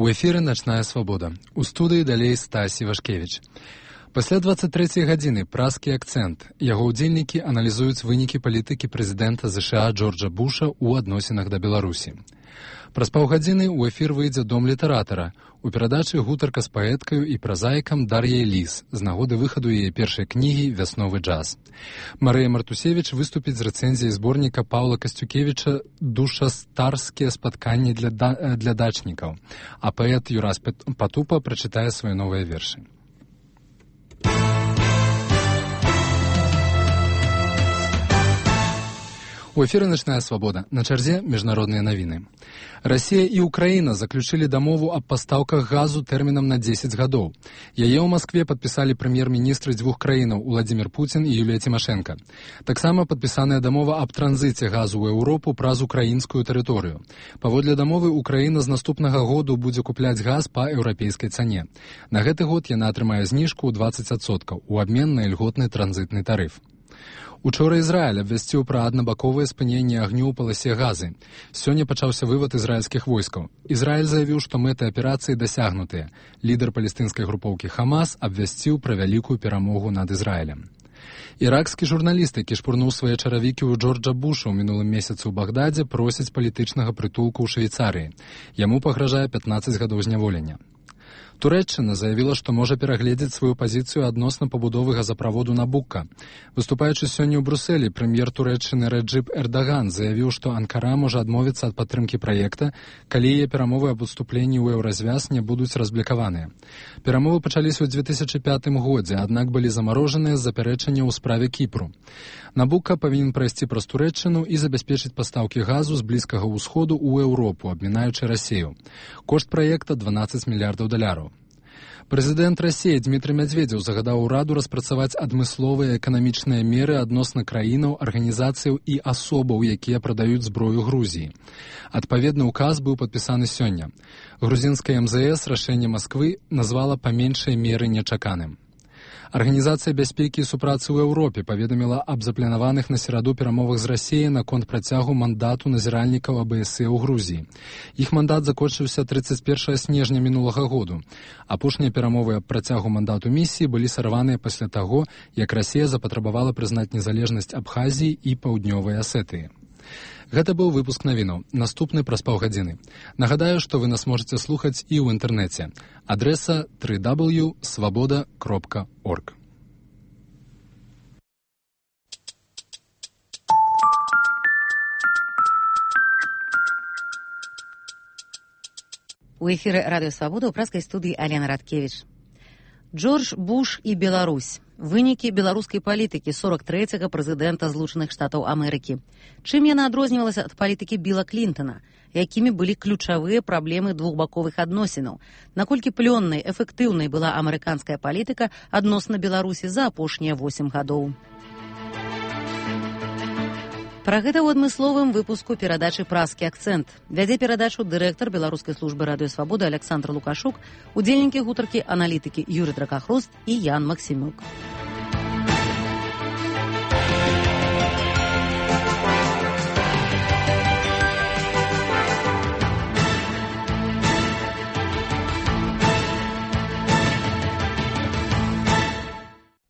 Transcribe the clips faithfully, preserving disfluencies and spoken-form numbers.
У эфіры «Начная свабода». У студыі далей Стась Івашкевіч. Пасля дваццаць трэцяй гадзіны празкі акцэнт. Яго ўдзельнікі аналізуюць вынікі палітыкі прэзідэнта ЗША Джорджа Буша ў адносінах да Беларусі. Праз паўгадзіны ў эфір выйдзе «Дом літаратара». У перадачы гутарка з паэткаю і празаікам Дар'яй Ліс з нагоды выхаду яе першай кнігі «Вясновы джаз». Марыя Мартусевіч выступіць з рэцэнзіяй зборніка Паўла Касцюкевіча «Душастарскія спатканні для, да... для дачнікаў», а паэт Юрас Патупа прачытае свае новыя вершы. У эфіры «Начная свабода». На чарзе міжнародныя навіны. Расія і Украіна заключылі дамову аб пастаўках газу тэрмінам на дзесяць гадоў. Яе ў Маскве падпісалі прэм'ер-міністры дзвюх краінаў Уладзімір Пуцін і Юлія Цімашэнка. Таксама падпісаная дамова аб транзіце газу ў Еўропу праз украінскую тэрыторыю. Паводле дамовы Украіна з наступнага году будзе купляць газ па еўрапейскай цане. На гэты год яна атрымае зніжку ў дваццаць адсоткаў у абмен на ільготны транзітны тарыф. Учора Ізраіль абвясціў пра аднабаковае спыненне агню ў паласе Газы. Сёння пачаўся вывад ізраільскіх войскаў. Ізраіль заявіў, што мэты аперацыі дасягнутыя. Лідар палестынскай групоўкі Хамас абвясціў пра вялікую перамогу над Ізраілем. Іракскі журналіст, які шпурнуў свае чаравікі ў Джорджа Буша ў мінулым месяцы ў Багдадзе, просіць палітычнага прытулку ў Швейцарыі. Яму пагражае пятнаццаць гадоў зняволення. Турэччына заявіла, што можа перагледзець сваю пазіцыю адносна пабудовы газаправоду Набукка. Выступаючы сёння ў Брусэлі, прэм'ер Турэччыны Рэджып Эрдаган заявіў, што Анкара можа адмовіцца ад падтрымкі праекта, калі яе перамовы аб уступленні ў еўразвяз не будуць разблікаваныя. Перамовы пачаліся ў дзве тысячы пятым годзе, аднак былі замарожаныя з запярэчання ў справе Кіпру. Набукка павінен прайсці праз Турэччыну і забяспечыць пастаўкі газу з Блізкага ўсходу ў Еўропу, абмінаючы Расію. Кошт праекта дванаццаць мільярдаў даляраў. Прэзідэнт Расіі Дмітрый Мядзведзеў загадаў ураду распрацаваць адмысловыя эканамічныя меры адносна краінаў, арганізацыяў і асобаў, якія прадаюць зброю Грузіі. Адпаведны ўказ быў падпісаны сёння. Грузінская эм зэ эс рашэнне Масквы назвала па меншай меры нечаканым. Арганізацыя бяспекі і супрацы ў Еўропе паведаміла аб запланаваных на сераду перамовах з Расіяй наконт працягу мандату назіральнікаў а бэ эс э ў Грузіі. Іх мандат закончыўся трыццаць першага снежня мінулага году. Апошнія перамовы аб працягу мандату місіі былі сарваныя пасля таго, як Расія запатрабавала прызнаць незалежнасць Абхазіі і Паўднёвай Асетыі. Гэта быў выпуск навінаў. Наступны праз паўгадзіны. Нагадаю, што вы нас можаце слухаць і ў інтэрнэце. Адрэса дабл ю дабл ю крапка свабода крапка орг. У эфіры радыё «Свабода» ў пражскай студыі Алена Радкевіч. Джордж Буш і Беларусь. Вынікі беларускай палітыкі сорок трэцяга прэзідэнта Злучаных Штатаў Амерыкі. Чым яна адрознівалася ад палітыкі Біла Клінтана? Якімі былі ключавыя праблемы двухбаковых адносінаў? Наколькі плённай, эфектыўнай была амерыканская палітыка адносна Беларусі за апошнія восем гадоў? Пра гэта ў адмысловым выпуску перадачы «Празкі акцэнт». Вядзе перадачу дырэктар беларускай службы радыё «Свабода» Александр Лукашук, удзельнікі гутаркі аналітыкі Юрый Дракахрост і Ян Максімюк.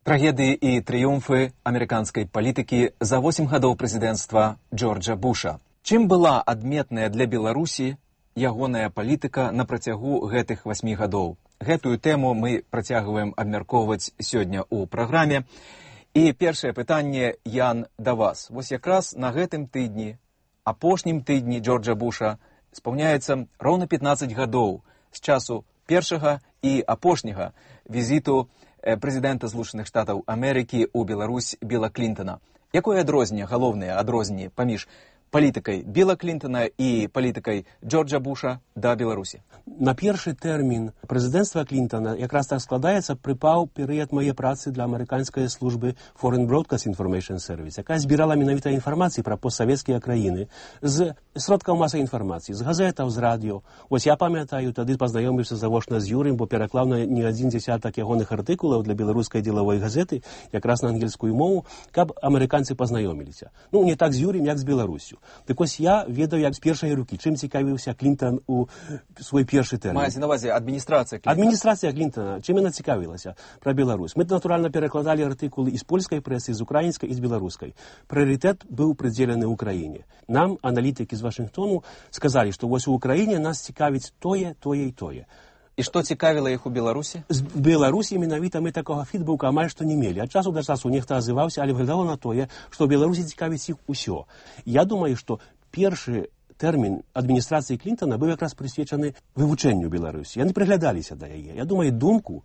Трагедыі і трыумфы амерыканскай палітыкі за восем гадоў прэзідэнцтва Джорджа Буша. Чым была адметная для Беларусі ягоная палітыка на працягу гэтых васьмі гадоў? Гэтую тэму мы працягваем абмяркоўваць сёння ў праграме. І першае пытанне, Ян, да вас. Вось якраз на гэтым тыдні, апошнім тыдні Джорджа Буша, спаўняецца роўна пятнаццаць гадоў з часу першага і апошняга візіту прэзідэнта Злучаных Штатаў Амерыкі ў Беларусь Біла Клінтана. Якое адрозненне, галоўнае адрозненне паміж палітыкай Біла Клінтана і палітыкай Джорджа Буша да Беларусі? На першы тэрмін прэзідэнцтва Клінтана якраз так складаецца, прыпаў перыяд мае працы для амерыканскай службы Foreign Broadcast Information Service, якая збірала менавіта інфармацыі пра постсавецкія краіны з сродкаў масавай інфармацыі, з газетаў, з радыё. Вось я памятаю, тады пазнаёміўся завочна з Юрым, бо пераклаў на не адзін дзесятак ягоных артыкулаў для беларускай дзелавой газеты, якраз на ангельскую мову, каб амерыканцы пазнаёміліся. Ну, не так з Юрым, як з Беларусю. Так ось я ведаю як з першай рукі, чим цікавився Клінтон у свій перший термін. Мається на увазі адміністрація Клінтона? Адміністрація Клінтона, чим вона цікавилася про Білорусь. Ми, натурально, перекладали артикули із польської преси, з української і з білоруської. Пріоритет був приділений Україні. Нам, аналітики з Вашингтону, сказали, що ось у Україні нас цікавить тоє, тоє і тоє. І що цікавило їх у Білорусі? З Білорусі, менавіта, ми такого фідбука майже що не мали. От часу до часу ніхто озивався, але виглядало на тоє, що в Білорусі цікавить їх усе. Я думаю, що перший термін адміністрації Клінтона був якраз присвячений вивченню Білорусі. Я не приглядалися до її. Я думаю, думку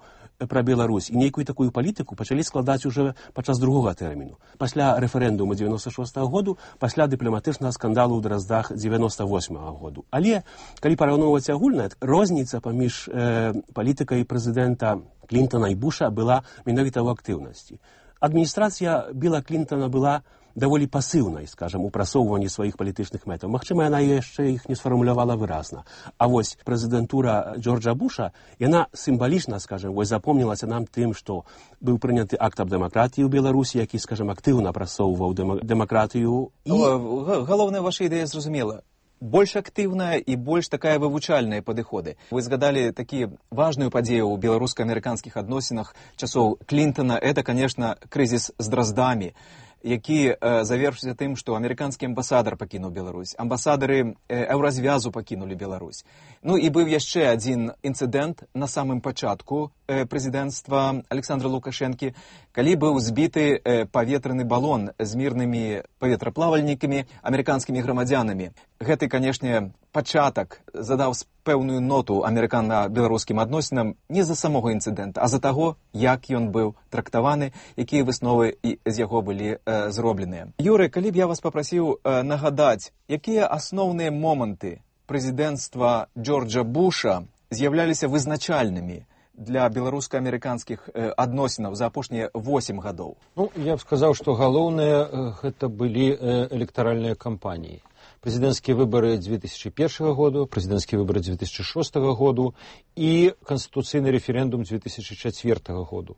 про Білорусь і ніяку таку політику почали складати вже під час другого терміну. Після референдуму дев'яносто шостого году, після дипломатичного скандалу у Дроздах дев'яносто восьмого году. Але, коли порівнювати огульно, різниця поміж е, політикою президента Клінтона і Буша була менавіта в активності. Адміністрація Біла Клінтона була доволі пасивною, скажімо, у просовуванні своїх політичних методів. Можливо, вона ще їх не сформулювала виразно. А ось президентура Джорджа Буша, вона символічно, скажімо, ось запомнилася нам тим, що був прийнятий акт об демократії у Білорусі, який, скажімо, активно просовував демократію. І... Головне, ваша ідея зрозуміла. Больш активная и больш такая вывучальная падыходы. Вы згадали такі важную падзею ў беларуска-амерыканскіх адносінах часоў Клінтона. Это, конечно, крызіс з Дроздамі, які э, завершыўся тым, што амерыканскі амбасадар пакінуў Беларусь, амбасадары э, Еўразвязу пакінулі Беларусь. Ну і быў яшчэ адзін інцыдэнт на самым пачатку э, прэзідэнцтва Александра Лукашэнкі, калі быў збіты э, паветраны балон з мірнымі паветраплавальнікамі, амерыканскімі грамадзянамі. Гэты, канешне, пачатак задаў пэўную ноту амерыкана-беларускім адносінам не з-за самога інцыдэнта, а з-за таго, як ён быў трактаваны, якія высновы з яго былі э, зробленыя. Юры, калі б я вас папрасіў э, нагадаць, якія асноўныя моманты прэзідэнцтва Джорджа Буша з'яўляліся вызначальнымі для беларуска-амерыканскіх э, адносінаў за апошнія восемь гадоў? Ну, я б сказаў, што галоўныя э, гэта былі э, электаральныя кампаніі. Президентские выборы две тысячи первого года, президентские выборы две тысячи шестого года и конституційный референдум две тысячи четвертого года.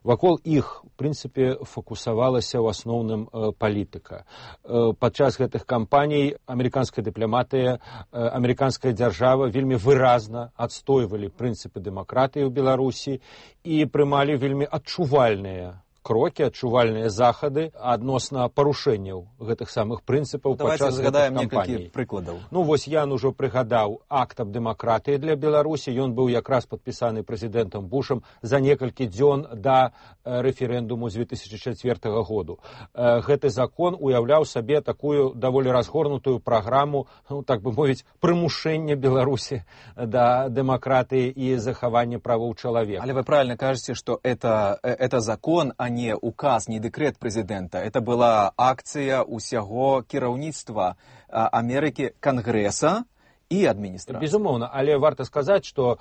Вакол іх, в принципе, фокусавалася ў асноўным э, палітыка. Э, падчас гэтых кампаній амерыканская дыпламатыя, э, амерыканская дзяржава вельмі выразна адстойвалі прынцыпы дэмакратыі ў Беларусі і прымалі вельмі адчувальныя крокі, адчувальныя захады адносна парушэнняў гэтых самых прынцыпаў падчас гэтых кампаній. Прыкладаў. Ну, вось я ўжо прыгадаў акт аб дэмакратыі для Беларусі. Ён быў якраз падпісаны прэзідэнтам Бушам за некалькі дзён да рэферэндуму з две тысячи четвертого года. Гэты закон уяўляў сабе такую даволі разгорнутую праграму, ну, так бы мовіць, прымушэння Беларусі да дэмакратыі і захавання правоў чалавека. Але вы правильно кажете, что это, это закон, а не указ, не декрет президента. Это была акция усяго кіраўніцтва Америки, Конгресса и администрации. Безумоўна, але варта сказаць, што,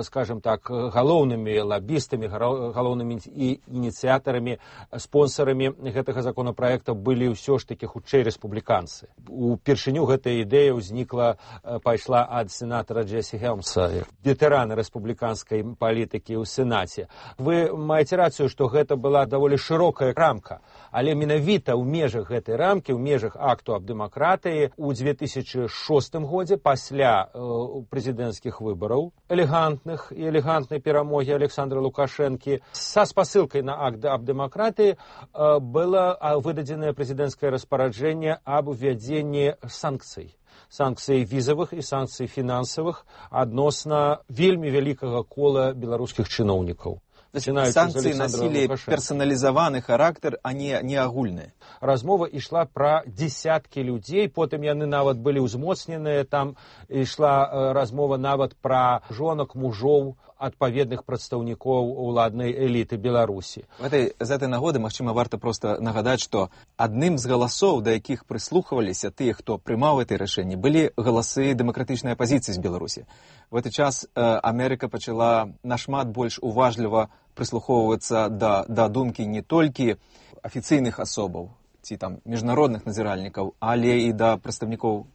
скажем так, галоўнымі лабістамі, галоўнымі ініцыятарамі, спонсорамі гэтага законапраекта былі ўсё ж такі хутчэй рэспубліканцы. Упершыню гэтая ідэя ўзнікла, пайшла ад сенатара Джесси Хелмса, ветэрана рэспубліканскай палітыкі ў Сенаце. Вы маеце рацыю, што гэта была даволі шырокая рамка, але менавіта ў межах гэтай рамкі, ў межах акту аб дэмакратыі ў две тысячи шостым годзе пасля пасля э, прэзідэнцкіх выбараў, элегантных і элегантнай перамогі Александра Лукашэнкі, са спасылкай на акт аб дэмакратыі э, было выдадзенае прэзідэнцкае распараджэнне аб увядзенні санкцый. Санкцый візавых і санкцый фінансавых адносна вельмі вялікага кола беларускіх чыноўнікаў. Санкции носили персонализованный характер, а не, не агульные. Размова ішла пра дзесяткі людзей, потым яны нават былі ўзмоцненыя, там ішла размова нават пра жонак, мужоў, адпаведных прадстаўнікоў уладнай эліты Беларусі. В этой, з этой нагоды, магчыма, варта просто нагадаць, што адным з галасоў, да якіх прыслухваліся тыя, хто прымаў гэтае рашэнне, былі галасы дэмакратычнай апазіцыі з Беларусі. В этот час э, Америка пачала нашмат больш уважліва прыслухоўвацца да, да думкі не толькі афіцыйных асобаў ці там міжнародных назіральнікаў, але і да прадстаўнікоў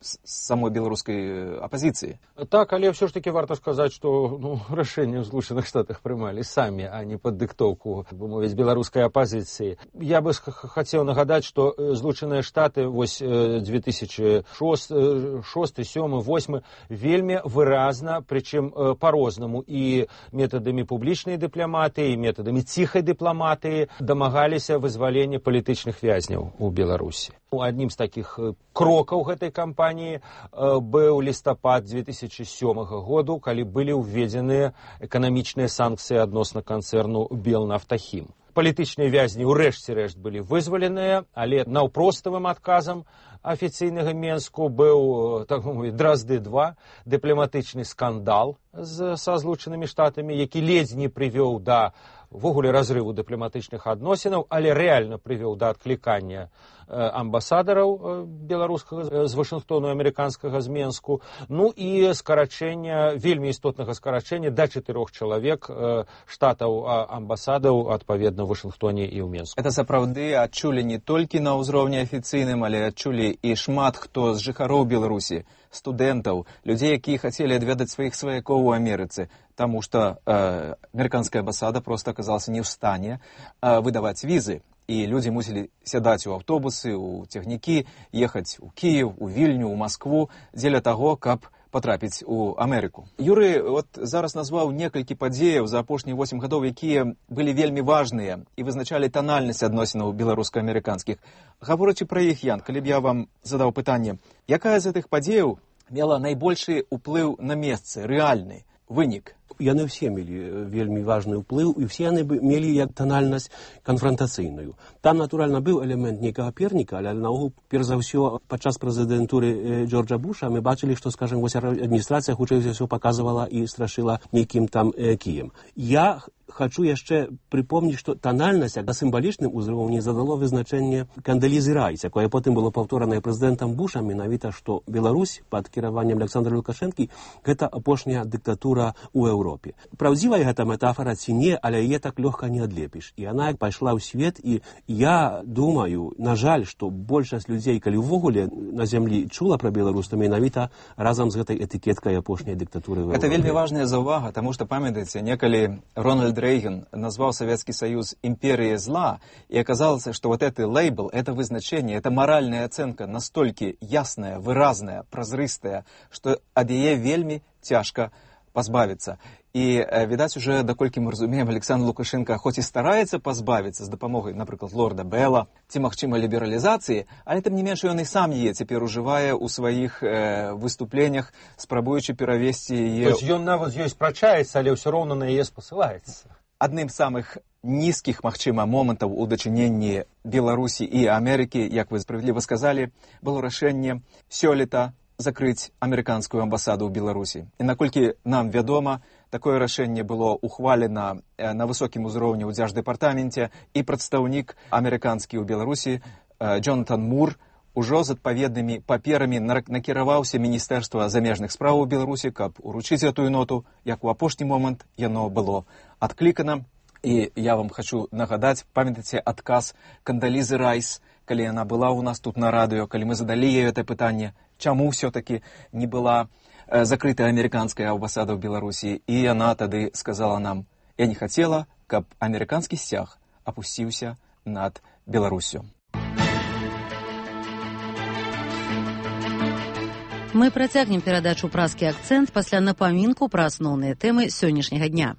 самой беларускай апазіцыі. Так, але ўсё ж таки варта сказаць, што ну, рашэнне ў Злучаных Штатах прымалі самі, а не пад дыктоўку, бы мовіць, беларускай апазіцыі. Я бы хацеў нагадаць, што Злучаныя Штаты вось две тысячи шосты, сёмы, восьмы вельмі выразна, прычым па-рознаму і метадамі публічнай дыпламатыі, і метадамі ціхай дыпламатыі дамагаліся вызвалення палітычных вязняў у Беларусі. Аднім з такіх крокаў гэтай кампаніі быў лістапад две тысячи сёмага году, калі былі ўведзеныя эканамічныя санкцыі адносна канцэрну Белнафтахім. Палітычныя вязні ўрэшце рэшт былі вызваленыя, але наўпроставым адказам афіцыйнага Менску быў, так мовіць, Дразды два, дыпламатычны скандал з, са Злучанымі Штатамі, які ледзь не прывёў да ввогуле разрыву дыпламатычных адносінаў, але рэальна прывёў да адклікання амбасадараў беларускага з Вашынгтону, амерыканскага з Менску, ну і скарачэння, вельмі істотнага скарачэння да чатырох чалавек штатаў амбасадаў, адпаведна, у Вашынгтоне і ў Менску. Это сапраўды адчулі не толькі на ўзроўні афіцыйным, але адчулі і шмат хто з жыхароў Беларусі, студэнтаў, людзей, якія хацелі адведаць сваіх сваякоў у Амерыцы, таму што э, амерыканская амбасада проста аказалася не ў стане э, выдаваць візы. І людзі мусілі сядаць у аўтобусы, у цягнікі, ехаць у Кіев, у Вільню, у Маскву, дзеля таго, каб патрапіць у Амерыку. Юрый вот зараз назваў некалькі падзеяў за апошнія восем гадоў, якія былі вельмі важныя і вызначалі танальнасць адносінаў беларуска-амерыканскіх. Гаворачы пра іх, Ян, калі б я вам задаў пытанне, якая з гэтых падзеяў мела найбольшы ўплыў на месцы, рэальны вынік? Яны ўсе мелі вельмі важны ўплыў, і ўсе яны мелі як танальнасць канфрантацыйную. Там, натуральна, быў элемент нейкага перніка, але наогул, перш за ўсё, падчас прэзідэнтуры Джорджа Буша мы бачылі, што, скажем, вось адміністрацыя хутчэй за ўсё паказвала і страшыла нейкім там э, кіем. Я хочу яшчэ припомніць, што танальнасць на сімвалічным узроўні задало вызначэнне Кандалізы Райс, якое потым было паўторанае прэзідэнтам Бушам, менавіта, што Беларусь пад кіраваннем Александра Лукашэнкі гэта апошняя дыктатура ў Еўропе. Праўдзівая гэта метафора ці не, але яе так лёгка не адлепіш. І яна пайшла ў свет, і я думаю, на жаль, што большасць людзей, калі ўвогуле на зямлі чула пра Беларусь, то менавіта разам з гэтай этыкеткай апошняй дыктатуры ў Еўропе. Это вельмі важная заўвага, таму што, памятаеце, некалі Рональд Рейган назвал Советский Союз империей зла, и оказалось, что вот этот лейбл, это вызначение, это моральная оценка настолько ясная, выразная, прозрыстая, что ад яе вельмі цяжка пазбавіцца. І, відаць, уже, даколькі мы разумеем, Александр Лукашенко хоць і стараецца пазбавіцца з дапамогай, напрыклад, лорда Белла, ці, магчыма, лібералізацыі, але, тым не менш, ён і сам яе цяпер ужывае ў сваіх э, выступленнях, спрабуючы перавесці яе... То есть ён нават з ёй спрачаецца, але ўсё роўна на яе спасылаецца. Адным з самых нізкіх, магчыма, момантаў у дачыненні Беларусі і Амерыкі, як вы справядліва сказалі, было рашэнне сёлета закрыць амерыканскую амбасаду ў Беларусі. І наколькі нам вядома, такое рашэнне было ухвалена на высокім узроўні ў дзярждэпартаменце, і прадстаўнік амерыканскі ў Беларусі Джонатан Мур ужо з адпаведнымі паперамі накіраваўся Міністэрства замежных спраў у Беларусі, каб уручыць гэтую ноту, як у апошні момант яно было адклікана. І я вам хочу нагадаць, памятаеце адказ Кандалізы Райс, калі яна была ў нас тут на радыё, калі мы задалі ёй это пытанне, чаму ўсё-таки не была э, закрытая амерыканская амбасада ў Беларусі, і яна тады сказала нам: я не хацела, каб амерыканскі сцяг апусціўся над Беларусю. Мы працягнем перадачу «Празкі акцэнт» пасля напамінку пра асноўныя тэмы сённяшняга дня.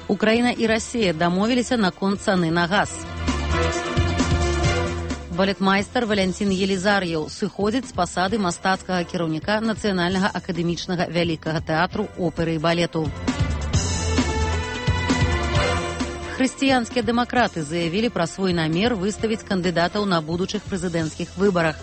Украіна і Расія дамовіліся наконт цаны на газ. Балетмайстар Валянцін Елізар'еў сыходзіць з пасады мастацкага кіраўніка Нацыянальнага акадэмічнага вялікага тэатру оперы і балету. Хрысціянскія дэмакраты заявілі пра свой намер выставіць кандыдатаў на будучых прэзідэнцкіх выбарах.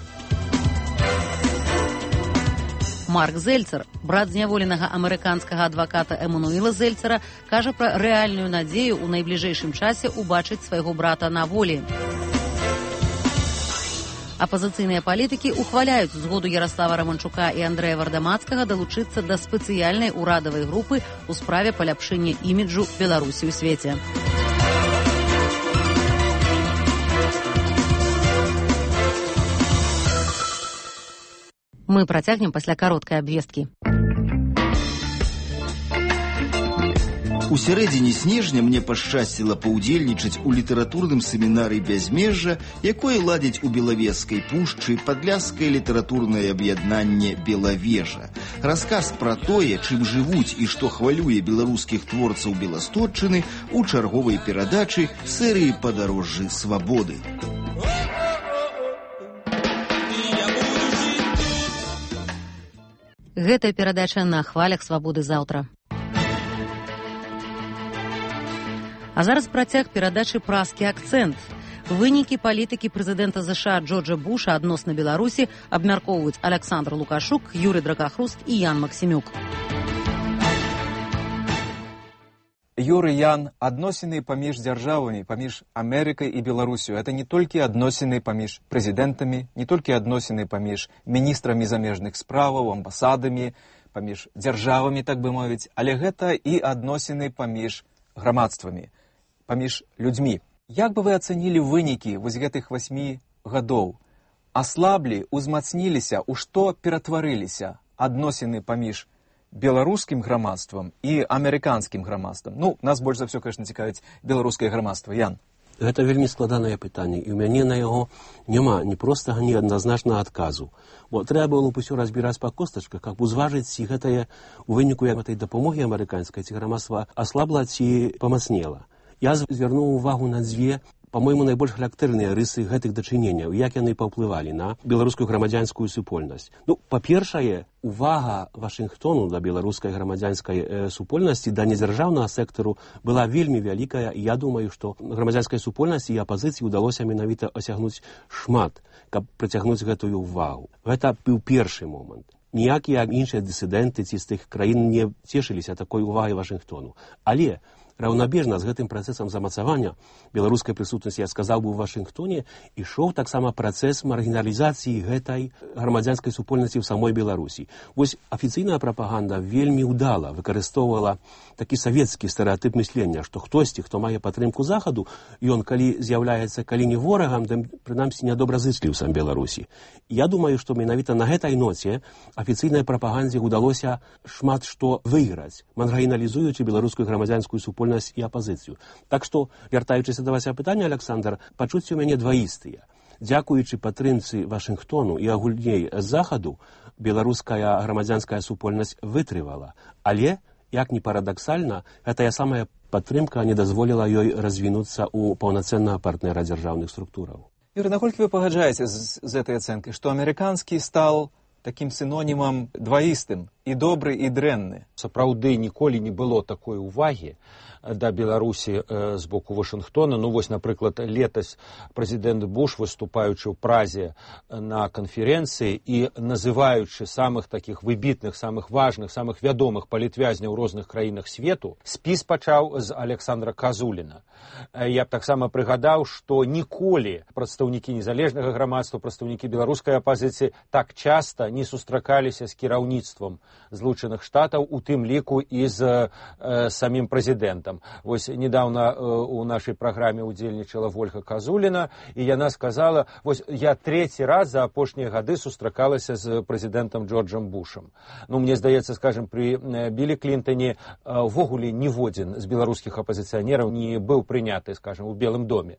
Марк Зельцер, брат зняволенага амерыканскага адваката Эмануіла Зельцера, кажа пра рэальную надзею ў найбліжэйшым часе ўбачыць свайго брата на волі. Апазіцыйныя палітыкі ухваляюць згоду Ярослава Романчука і Андрэя Вардамацкага далучыцца да спецыяльнай урадавай групы ў справе паляпшэння іміджу Беларусі ў свеце. Мы працягнем пасля кароткай абвесткі. У сярэдзіне снежня мне пашчасціла паўдзельнічаць у літаратурным семінары «Бязмежжа», якое ладзяць у Белавежскай пушчы падляшскае літаратурнае аб'яднанне «Белавежа». Расказ пра тое, чым жывуць і што хвалюе беларускіх творцаў Беластотчыны у чарговай перадачы серыі «Падарожжы свабоды». Гэтая перадача на хвалях свабоды заўтра. А зараз працяг перадачы «Празкі акцэнт». Вынікі палітыкі прэзідэнта ЗША Джорджа Буша адносна Беларусі абмяркоўваюць Александр Лукашук, Юрый Дракахруст і Ян Максімюк. Юрый, Ян, адносіны паміж дзяржавамі, паміж Амерыкай і Беларусю, это не толькі адносіны паміж прэзідэнтамі, не толькі адносіны паміж міністрамі замежных справаў, амбасадамі, паміж дзяржавамі, так бы мовіць, але гэта і адносіны паміж грамадствамі, паміж людзьмі. Як бы вы ацэнілі вынікі вось гэтых васьмі гадоў? Аслаблі, узмацніліся, у што ператварыліся адносіны паміж беларускім грамадствам і амерыканскім грамадствам? Ну, нас больш за ўсё, конечно, цікавіць беларускае грамадства. Ян. Гэта вельмі складанае пытанне, і ў мяне на яго няма ні простага, ні адназначнага адказу. Бо трэба было б усё разбіраць па костачках, каб узважыць, ці гэтае у выніку гэтай дапамогі амерыканскай, ці грамадства аслабла, ці памацнела. Я звярнуў увагу на дзве, па-мойму, найбольш характэрныя рысы гэтых дачыненняў, як яны паўплывалі на беларускую грамадзянскую супольнасць. Ну, па-першае, увага Вашынгтону да беларускай грамадзянскай э, супольнасці, да недзяржаўнага сектару была вельмі вялікая, і я думаю, што грамадзянскай супольнасці і апазіцыі ўдалося менавіта асягнуць шмат, каб прыцягнуць гэтую увагу. Гэта быў першы момант. Ніякія іншыя дысідэнты ці з тых краін не цешыліся такой увагай Вашынгтону. Але раўнабежна з гэтым працэсам замацавання беларускай прысутнасці, я сказаў бы, у Вашынгтоне ішоў таксама працэс маргіналізацыі гэтай грамадзянскай супольнасці ў самой Беларусі. Вось афіцыйная прапаганда вельмі ўдала выкарыстоўвала такі савецкі стэрэатып мыслення, што хтосьці, хто мае падтрымку захаду, ён калі з'яўляецца калі не ворагам, то прынамсі нядобразычліў сам Беларусі. Я думаю, што менавіта на гэтай ноце афіцыйнай прапагандзе ўдалося шмат што выйграць, маргіналізуючы беларускую грамадзянскую супольнасць і апазіцыю. Так што, вяртаючыся да вашага пытання, Александр, пачуцці ў мяне дваістыя. Дзякуючы падтрымцы Вашынгтону і агульней захаду, беларуская грамадзянская супольнасць вытрывала. Але, як ні парадаксальна, гэтая самая падтрымка не дазволіла ёй развінуцца ў паўнацэннага партнера дзяржаўных структураў. Юрий, наколькі вы пагаджаеце з, з этой ацэнкай, што амерыканскі стал такім синонімам дваістым, і добры, і дрэнны? Сапраўды ніколі не было такой увагі да Беларусі э, з боку Вашынгтона. Ну вось, напрыклад, летась прэзідэнт Буш, выступаючы ў Празе на канферэнцыі і называючы самых такіх выбітных, самых важных, самых вядомых палітвязняў у розных краінах свету, спіс пачаў з Александра Казуліна. Я б таксама прыгадаў, што ніколі прадстаўнікі незалежнага грамадства, прадстаўнікі беларускай апазіцыі так часта не сустракаліся з кіраўніцтвам Злучаных Штатаў, у тым ліку і з э, самім прэзідэнтам. Вось недавно э, у нашай праграме удзельнічала Вольга Казуліна, і яна сказала, вось я трэці раз за апошнія гады сустракалася з прэзідэнтам Джорджам Бушам. Ну, мне здаецца, скажем, при э, Білі Клінтоне увогуле э, ніводзін з беларускіх апазіцыянераў не быў прыняты, скажем, у Белым доме.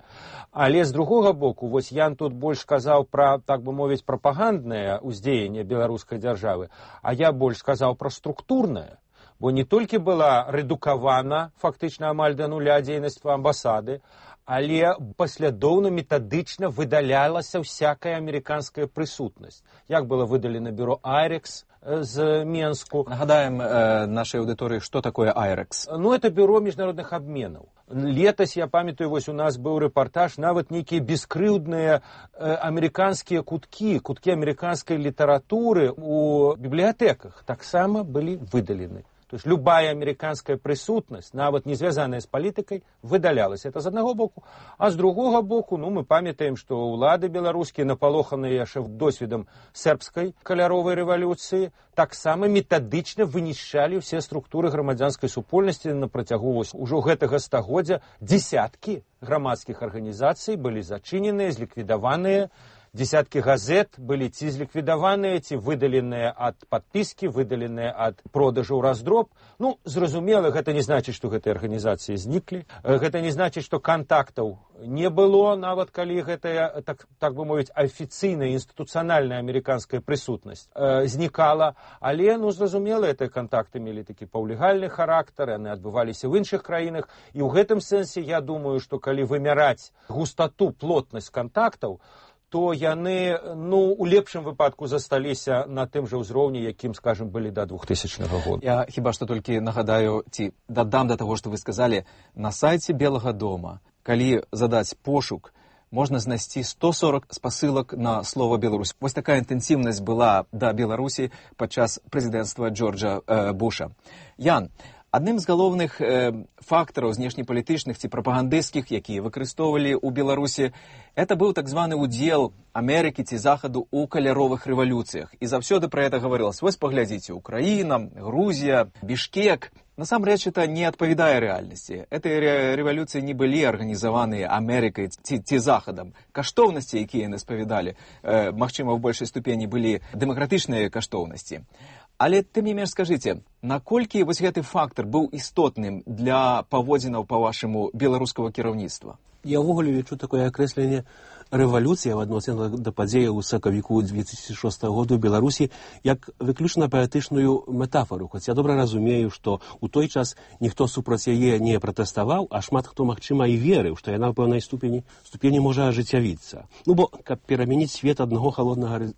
Але з другога боку, вось Ян тут больш сказаў пра, так бы мовіць, прапаганднае ўздзеянне беларускай дзяржавы, а я больш сказаў пра структурнае. Бо не толькі была рэдукавана фактычна амаль да нуля дзейнасць амбасады, але паслядоўна метадычна выдалялася всякая амерыканская прысутнасць. Як было выдалена бюро Айрекс з Менску. Нагадаем э, нашай аўдыторыі, што такое Айрекс. Ну, это бюро міжнародных абменаў. Летась, я памятаю, вось у нас быў рэпартаж, нават нейкія бескрыўдныя э, амерыканскія куткі, куткі амерыканскай літаратуры у бібліятэках таксама былі выдалены. То есть любая американская присутнасць, нават не звязаная з палітыкай, выдалялася. Это з аднаго боку. А з другога боку, ну, мы памятаем, што ўлады беларускія, напалоханыя яшчэ досведам сербскай каляровай рэвалюцыі, таксама метадычна вынішчалі ўсе структуры грамадзянскай супольнасці на працягу ўжо гэтага стагоддзя. Дзесяткі грамадскіх арганізацый былі зачыненыя, зліквідаваныя. Десяткі газет былі ці зліквідаваныя, ці выдаленыя ад падпіскі, выдаленыя ад продажу ў раздроб. Ну, зразумела, гэта не значыць, што гэтыя арганізацыі зніклі. Гэта не значыць, што кантактаў не было, нават калі гэтая, так, так бы мовіць, афіцыйная, інстытуцыянальная амерыканская прысутнасць э, знікала. Але, ну, зразумела, гэтыя кантакты мелі такі паўлегальны характар, яны адбываліся ў іншых краінах. І ў гэтым сэнсе я думаю, што калі вымяраць густату, плотнасць кантактаў, то яны, ну, у лепшым выпадку засталіся на тым жа ўзроўні, якім, скажем, былі да двухтысячнага года. Я хіба што толькі нагадаю, ці дадам да таго, што вы сказалі, на сайце Белага дома, калі задаць пошук, можна знайсці сто сорок спасылак на слова Беларусь. Вось такая інтэнсіўнасць была да Беларусі падчас прэзідэнцтва Джорджа э, Буша. Ян, адным з галоўных э, фактараў знешнепалітычных ці прапагандысцкіх, якія выкарыстоўвалі ў Беларусі, это быў так званы удзел Амерыкі ці Захаду ў каляровых рэвалюцыях. І заўсёды пра гэта гаварылася. Вось паглядзіце, Украіна, Грузія, Бішкек. Насамрэч, это не адпавядае рэальнасці. Гэтыя рэвалюцыі не былі арганізаваныя Амерыкай ці, ці Захадам. Каштоўнасці, якія яны спавядалі, э, магчыма, ў большай ступені былі дэмакратычныя каштоўнасці. Але тым не менш скажыце, наколькі вось гэты фактар быў істотным для паводзінаў, па-вашаму, беларускага кіраўніцтва? Я ўвогуле лічу такое акрэсленне рэвалюцыя в адносінах да падзеяў у сакавіку две тысячи шостага году ў Беларусі як выключна паэтычную метафору. Хоць я добра разумею, што ў той час ніхто супраць яе не пратэставаў, а шмат хто, магчыма, і верыў, што яна ў пэўнай ступені, ступені можа ажыццявіцца. Ну, бо, каб перамяніць свет аднаго халоднага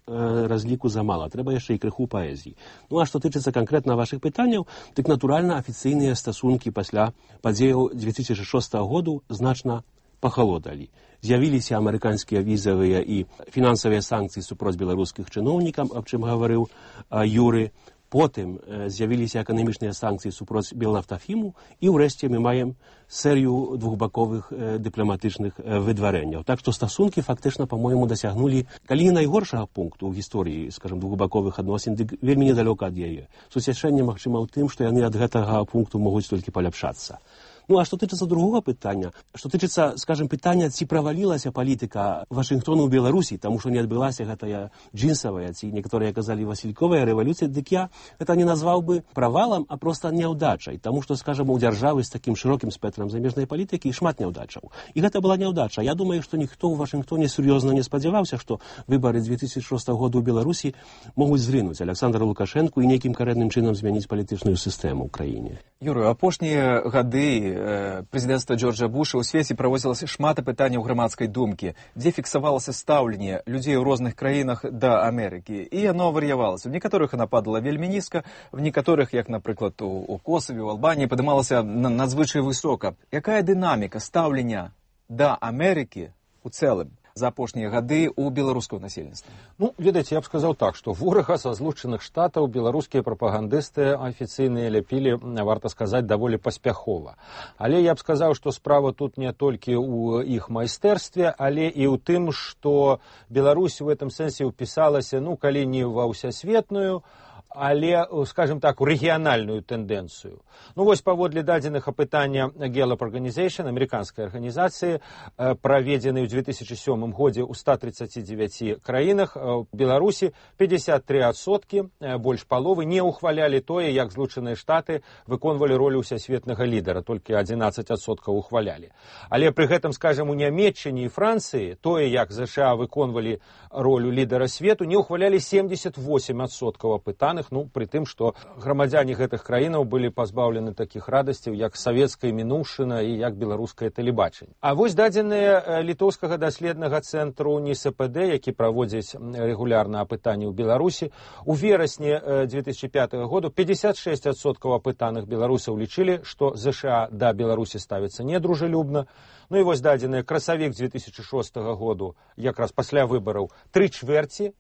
разліку замала, трэба яшчэ і крыху паэзіі. Ну, а што тычыцца канкрэтна вашых пытанняў, дык, натуральна, афіцыйныя стасункі пасля падзеяў две тысячи шостага году значна пахалодалі. З'явіліся амерыканскія візавыя і фінансавыя санкцыі супроць беларускіх чыноўнікаў, аб чым гаварыў а, Юры. Потым э, з'явіліся эканамічныя санкцыі супроць Белнафтафіму, і ўрэшце мы маем серыю двухбаковых э, дыпламатычных э, выдварэнняў. Так што стасункі фактычна, па-мойму, дасягнулі, калі не найгоршага пункту ў гісторыі, скажам, двухбаковых адносін, дык вельмі недалёка ад яе. Суцяшэнне, магчыма, ў тым, што яны ад гэтага пункту могуць толькі паляпшацца. Ну, а што тычыцца другога пытання, што тычыцца, скажем, пытання, ці правалілася палітыка Вашынгтону ў Беларусі, таму што не адбылася гэтая джинсавая, ці некаторыя казалі васільковая рэвалюцыя, дык я гэта не назваў бы правалам, а проста няўдачай, таму што, скажем, у дзяржавы з такім шырокім спектрам замежнай палітыкі шмат няўдачаў. І гэта была няўдача. Я думаю, што ніхто ў Вашынгтоне сур'ёзна не спадзяваўся, што выбары две тысячи шостага году ў Беларусі могуць зрынуць Александра Лукашэнку і нейкім карэнным чынам змяніць палітычную сістэму ў краіне. Юрый, апошнія гады прэзідэнцтва Джорджа Буша ў свеце праводзілася шмат апытанняў грамадскай думкі, дзе фіксавалася стаўленне людзей у розных краінах да Амерыкі. І яно вар'явалася. У некаторых яна падала вельмі нізка, в некаторых, як, напрыклад, у, у Косаве, у Албаніі, падымалася надзвычай высока. Якая дынаміка стаўлення да Амерыкі у цэлым за апошнія гады ў беларускага насельніцтва? Ну, ведаеце, я б сказаў так, што ворага са злучаных штатаў беларускія прапагандысты афіцыйныя ляпілі, варта сказаць, даволі паспяхова. Але я б сказаў, што справа тут не толькі ў іх майстэрстве, але і ў тым, што Беларусь у гэтым сэнсе ўпісалася, ну, калі не ва ўсясветную, але, скажем так, у рэгіянальную тэндэнцыю. Ну, вось паводле дадзеных апытання Gallup Organization, амерыканскай арганізацыі, праведзены ў две тысячи сёмым годзе ў ста тридцати девяти краінах, у Беларусі пятьдесят три адсоткі, больш паловы, не ухвалялі тое, як Злучаныя Штаты выконвалі ролю ўсясветнага лідара, толькі одиннадцать адсоткаў ухвалялі. Але пры гэтым, скажем, у Нямецчыне і Францыі тое, як ЗША выконвалі ролю лідара свету, не ухвалялі семьдесят восемь адсоткаў апытаных, ну, пры тым, што грамадзяне гэтых краінаў былі пазбаўлены такіх радасцяў, як савецкая мінуўшчына і як беларускае тэлебачанне. А вось дадзеныя літоўскага даследнага цэнтру НИСПД, які праводзіць рэгулярна апытанні ў Беларусі, у верасні две тысячи пятого году пятьдесят шесть адсоткаў апытаных беларусаў лічылі, што ЗША да Беларусі ставіцца недружелюбна. Ну і вось дадзеныя красавік две тысячи шостага году, якраз пасля выбараў, тры чвэрці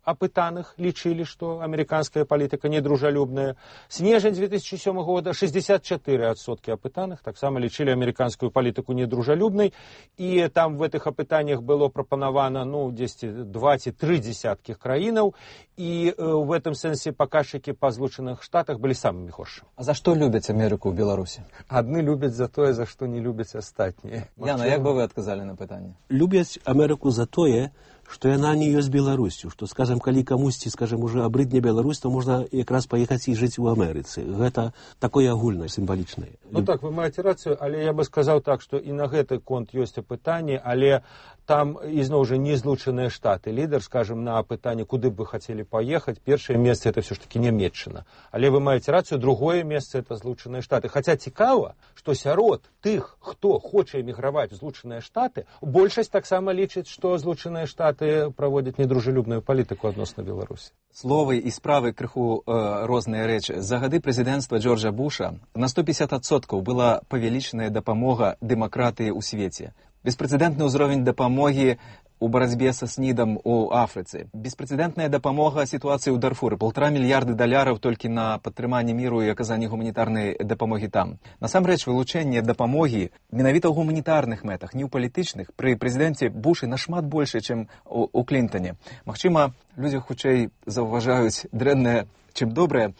опытанных лічылі, што амерыканская палітыка недружалюбная. Снежань две тысячи седьмого года шестьдесят четыре процента опытанных таксама лічылі амерыканскую палітыку недружалюбнай, і там в этих опытаннях было прапанавана ну, два-три десятки краінаў, і в этом сэнсе паказчыкі па Злучаных Штатах былі самымі горшымі. А за што любяць Амерыку ў Беларусі? Адны любяць за тое, за што не любяць астатнія. Яна, як бы вы адказалі на пытанне? Любяць Амерыку за тое, што яна не ёсць Беларусю, што, скажем, калі камусьці, скажем, уже абрыдне Беларусь, то можна якраз паехаць і жыць у Амерыцы. Гэта такое агульнае, сімвалічнае. Ну так, вы маеце рацыю, але я бы сказаў так, што і на гэты конт ёсць апытанне, але там ізноў жа не Злучаныя Штаты. Лідар, скажем, на апытанне, куды б вы хацелі паехаць, першае месца это все ж таки Нямецчына. Але вы маеце рацыю, другое месца это Злучаныя Штаты. Хаця цікава, што сярод тых, хто хоча эміграваць у Злучаныя Штаты, большасць таксама лічыць, што Злучаныя Штаты праводзяць недружалюбную палітыку адносна Беларусі. Словы і справы крыху э, розныя рэчы. За гады прэзідэнцтва Джорджа Буша на сто пятьдесят адсоткаў была павялічаная дапамога дэмакратыі ў свеце. Беспрэцэдэнтны ўзровень дапамогі у барацьбе са снідам у Афрыцы. Беспрэцэдэнтная дапамога сітуацыі ў Дарфуры. Полтора мільярды даляраў толькі на падтрыманне міру і аказанне гуманітарнай дапамогі там. Насамрэч, вылучэнне дапамогі менавіта ў гуманітарных мэтах, не ў палітычных, пры прэзідэнце Бушы нашмат больше, чым у, у Клінтане. Магчыма, людзі хутчэй заўважаюць дрэннае, чым добрае.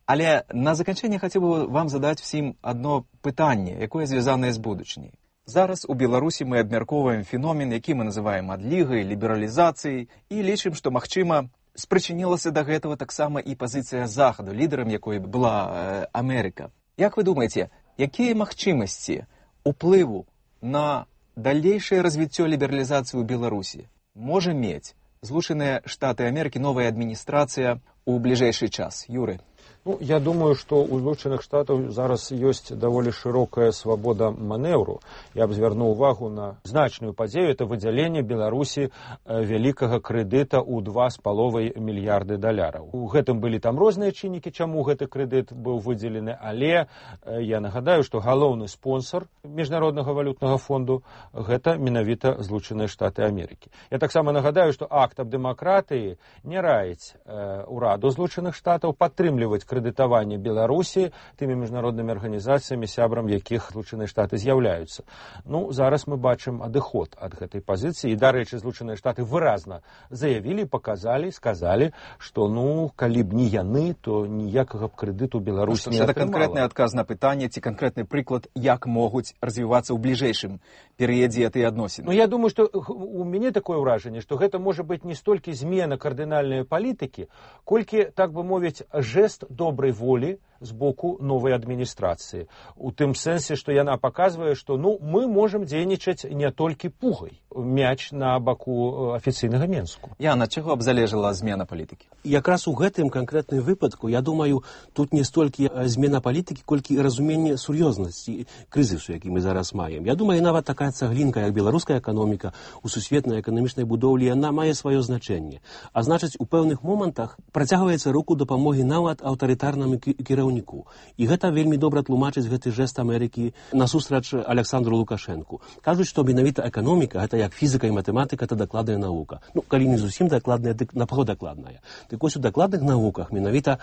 Але на заканчэнне хацеў бы вам задаць всім адно пытанне, якое звязанае з будучыняй. Зараз у Беларусі мы абмяркоўваем феномен, які мы называем адлігай, лібералізацыяй, і лічым, што, магчыма, спрычынілася да гэтага таксама і пазіцыя Захаду, лідарам якой была э, Амерыка. Як вы думаеце, якія магчымасці уплыву на далейшае развіццё лібералізацыі ў Беларусі можа мець Злучаныя Штаты Амерыкі, новая адміністрацыя у бліжэйшы час? Юры. Ну, я думаю, што у Злучаных Штатаў зараз ёсць даволі шырокая свабода манеўру. Я б звярнуў увагу на значную падзею, это выдзяленне Беларусі вялікага крэдыта ў два з паловай мільярды даляраў. У гэтым былі там розныя чыннікі, чаму гэты крэдыт быў выдзелены, але я нагадаю, што галоўны спонсор Міжнароднага валютнага фонду гэта менавіта Злучаныя Штаты Амерыкі. Я таксама нагадаю, што акт аб дэмакратыі не раіць э, ураду Злучаных Штатаў падтрымліваць крэдытаванне Беларусі тымі міжнароднымі арганізацыямі, сябрам якіх Злучаныя Штаты з'яўляюцца. Ну, зараз мы бачым адыход ад гэтай пазіцыі, і, дарэчы, Злучаныя Штаты выразна заявілі, паказалі, сказалі, што, ну, калі б не яны, то ніякага б крэдыту Беларусі не атрымала. Гэта канкрэтны адказ на пытанне, ці канкрэтны прыклад, як могуць развівацца ў бліжэйшым перыядзе гэтыя адносіны? Ну, я думаю, што у мяне такое ўражанне, што гэта можа быць не столькі змена кардынальнай палітыкі, колькі, так бы мовіць, жэст добрай волі з боку новай адміністрацыі. У тым сэнсе, што яна паказвае, што ну, мы можам дзейнічаць не толькі пугай. Мяч на баку афіцыйнага Менску. Яна, чаго б залежала змена палітыкі? Якраз у гэтым канкрэтным выпадку, я думаю, тут не столькі змена палітыкі, колькі разуменне сур'ёзнасці крызісу, які мы зараз маем. Я думаю, нават такая цаглінка, як беларуская эканоміка у сусветнай эканамічнай будоўлі, яна мае сваё значэнне. А значыць, у пэўных момантах працягваецца руку дапамогі нават аўтарытарнаму кіраўніку. І гэта вельмі добра тлумачыць гэты жэст Амерыкі насустрач Александру Лукашэнку. Кажуць, што менавіта эканоміка, гэта як фізіка і матэматыка, это дакладная навука. Ну, калі не зусім дакладная, дык напаўдакладная. Дык вось у дакладных навуках менавіта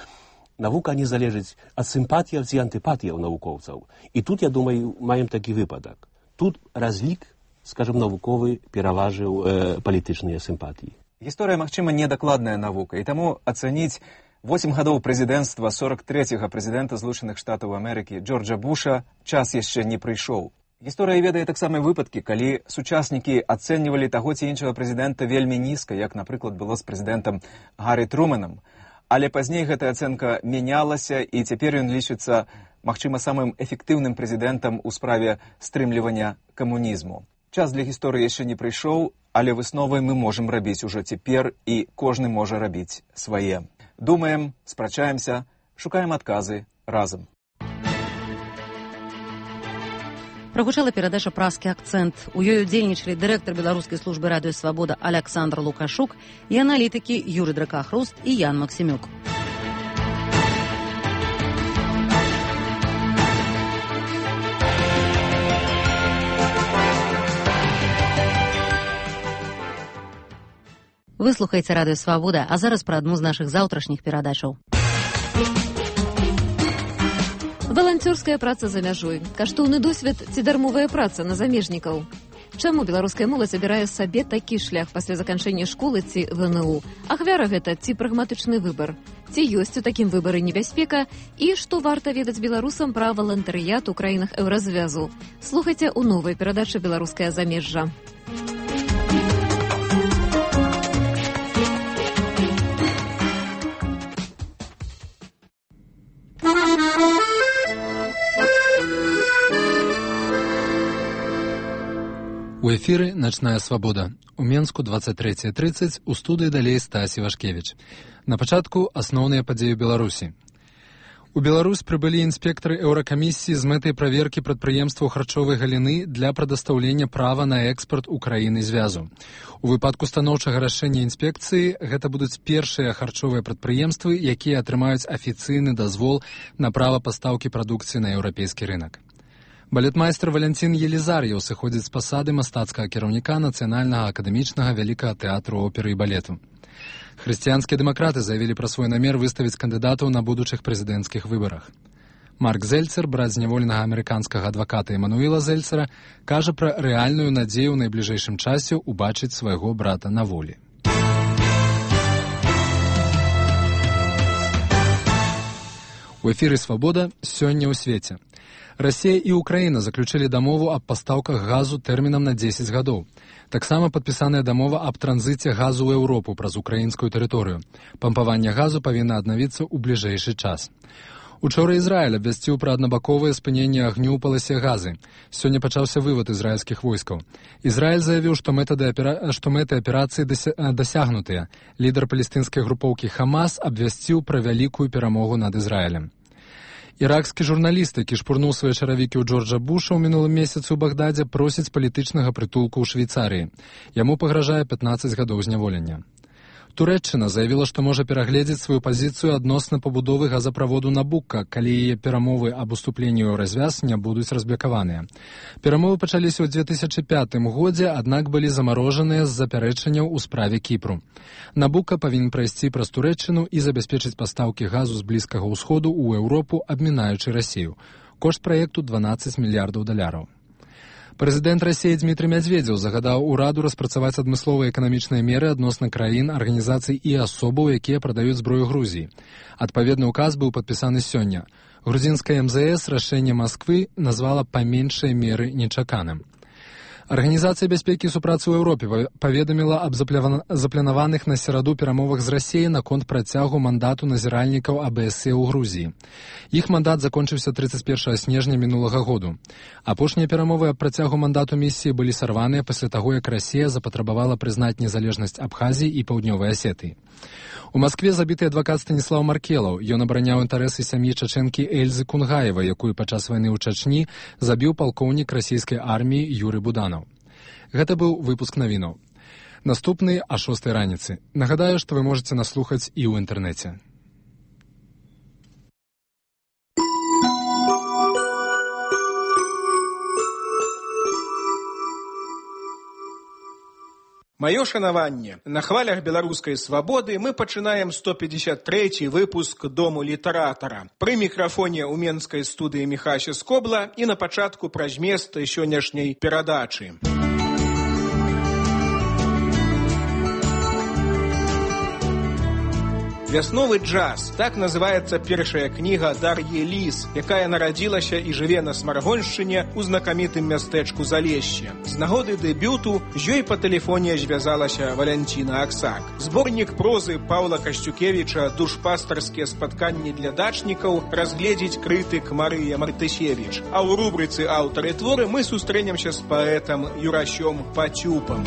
навука не залежыць ад сімпатіяў ці антыпатіяў навукоўцаў. І тут, я думаю, маем такі выпадак. Тут разлік, скажем, навуковы пераважыў э, палітычныя сімпатіі. Гісторыя, магчыма, недакладная навука, і таму ацаніць восем гадоў прэзідэнцтва сорок трэцяга прэзідэнта Злучаных Штатаў Амерыкі Джорджа Буша час яшчэ не прыйшоў. Гісторыя ведае таксама выпадкі, калі сучаснікі ацэньвалі таго ці іншага прэзідэнта вельмі нізка, як, напрыклад, было з прэзідэнтам Гаррі Труманам. Але пазней гэтая ацэнка мянялася, і цяпер ён лічыцца, магчыма, самым эфектыўным прэзідэнтам у справе стрымлівання камунізму. Час для гісторыі яшчэ не прыйшоў, але высновы мы можам рабіць ужо цяпер, і кожны можа рабіць свае. Думаем, спрачаемся, шукаем адказы разам. Прагучала перадача «Празкі акцэнт». У ёй удзельнічалі дырэктар беларускай службы радыё «Свабода» Александр Лукашук і аналітыкі Юры Дракахруст і Ян Максімюк. Вы Вы слухаеце радыё Свабода, а зараз пра адну з нашых заўтрашніх перадачаў. Валанцёрская праца за мяжой. Каштоўны досвед ці дармовая праца на замежнікаў. Чаму беларуская моладзь абірае сабе такі шлях пасля заканчэння школы ці ВНУ? Ахвяра гэта ці прагматычны выбар? Ці ёсць у такім выбары небяспека? І што варта ведаць беларусам пра валантарыят у краінах еўразвязу? Слухайце ў новай перадачы «Беларускае замежжа». У эфіры «Начная свабода». У Менску двадцать третье тридцать, у студыі далей Стась Івашкевіч. На пачатку асноўныя падзеі Беларусі. У Беларусь прыбылі інспектары еўракамісіі з мэтай праверкі прадпрыемстваў харчовай галіны для прадастаўлення права на экспарт у краіны звязу. У выпадку станоўчага рашэння інспекцыі гэта будуць першыя харчовыя прадпрыемствы, якія атрымаюць афіцыйны дазвол на права пастаўкі прадукцыі на еўрапейскі рынак. Балетмайстер Валянцін Елізар'еў сыходзіць з пасады мастацкага кіраўніка Нацыянальнага акадэмічнага вялікага тэатру оперы і балету. Хрысціянскія дэмакраты заявілі пра свой намер выставіць кандыдатаў на будучых прэзідэнцкіх выбарах. Марк Зельцер, брат зняволенага амерыканскага адваката Эмануіла Зельцера, кажа пра рэальную надзею ў найбліжэйшым часе ўбачыць свайго брата на волі. У эфіры «Свабода» сёння ў свеце. Расія і Украіна заключылі дамову аб пастаўках газу тэрмінам на дзесяць гадоў. Таксама падпісаная дамова аб транзіце газу ў Еўропу праз украінскую тэрыторыю. Пампаванне газу павінна аднавіцца ў бліжэйшы час. Учора Ізраіль абвясціў пра аднабаковае спыненне агню ў паласе газы. Сёння пачаўся вывад ізраільскіх войскаў. Ізраіль заявіў, што мэты аперацыі дасягнутыя. Лідар палестынскай групоўкі Хамас абвясціў пра вялікую перамогу над Ізраілем. Іракскі журналіст, які шпурнуў свае чаравікі ў Джорджа Буша ў мінулым месяцы ў Багдадзе, просіць палітычнага прытулку ў Швейцарыі. Яму пагражае пятнаццаць гадоў зняволення. Турэччына заявіла, што можа перагледзець сваю пазіцыю адносна пабудовы газаправоду Набука, калі яе перамовы аб уступленні ў развяз не будуць разблякаваныя. Перамовы пачаліся ў две тысячы пятым годзе, аднак былі замарожаныя з запярэчанняў у справе Кіпру. Набука павінен прайсці праз Турэччыну і забяспечыць пастаўкі газу з Блізкага ўсходу ў Еўропу, абмінаючы Расію. Кошт праекту дванаццаць мільярдаў даляраў. Прэзідэнт Расіі Дмітрый Мядзведзеў загадаў ураду распрацаваць адмысловыя эканамічныя меры адносна краін, арганізацый і асобаў, якія прадаюць зброю Грузіі. Адпаведны ўказ быў падпісаны сёння. Грузінская эм зэ эс рашэнне Масквы назвала па меншай меры нечаканым. Арганізацыя бяспекі і супрацы ў Еўропе паведаміла аб запланаваных на сераду перамовах з Расіяй наконт працягу мандату назіральнікаў а бэ эс е ў Грузіі. Іх мандат закончыўся трыццаць першага снежня мінулага году. Апошнія перамовы аб працягу мандату місіі былі сарваныя пасля таго, як Расія запатрабавала прызнаць незалежнасць Абхазіі і Паўднёвай Асетыі. У Маскве забіты адвакат Станіслаў Маркелаў. Ён абараняў інтарэсы сям'і чачэнкі Эльзы Кунгаевай, якую падчас вайны ў Чачні забіў палкоўнік расійскай арміі Юры Буданаў. Гэта быў выпуск навінаў. Наступны а шостай раніцы. Нагадаю, што вы можаце нас слухаць і ў інтэрнэце. Маё шанаванне. На хвалях беларускай свабоды мы пачынаем сто пятьдесят трэці выпуск Дому літаратара. Пры мікрафоне ў менскай студыі Міхася Скобла і на пачатку пра змест сённяшняй перадачы. «Вясновы джаз» – так называется першая кніга Дар'і Ліс, якая нарадзілася і жыве на Смаргоншчыне ў знакамітым мястэчку Залешще. З нагоды дэбюту з ёй па тэлефоне звязалася Валянціна Аксак. Зборнік прозы Паўла Касцюкевіча «Душпастарскія спатканні для дачнікаў» разгледзіць крытык Марыя Мартысевіч. А ў рубрыцы «Аўтары творы» мы сустрэнемся з паэтам Юрасём Пацюпам.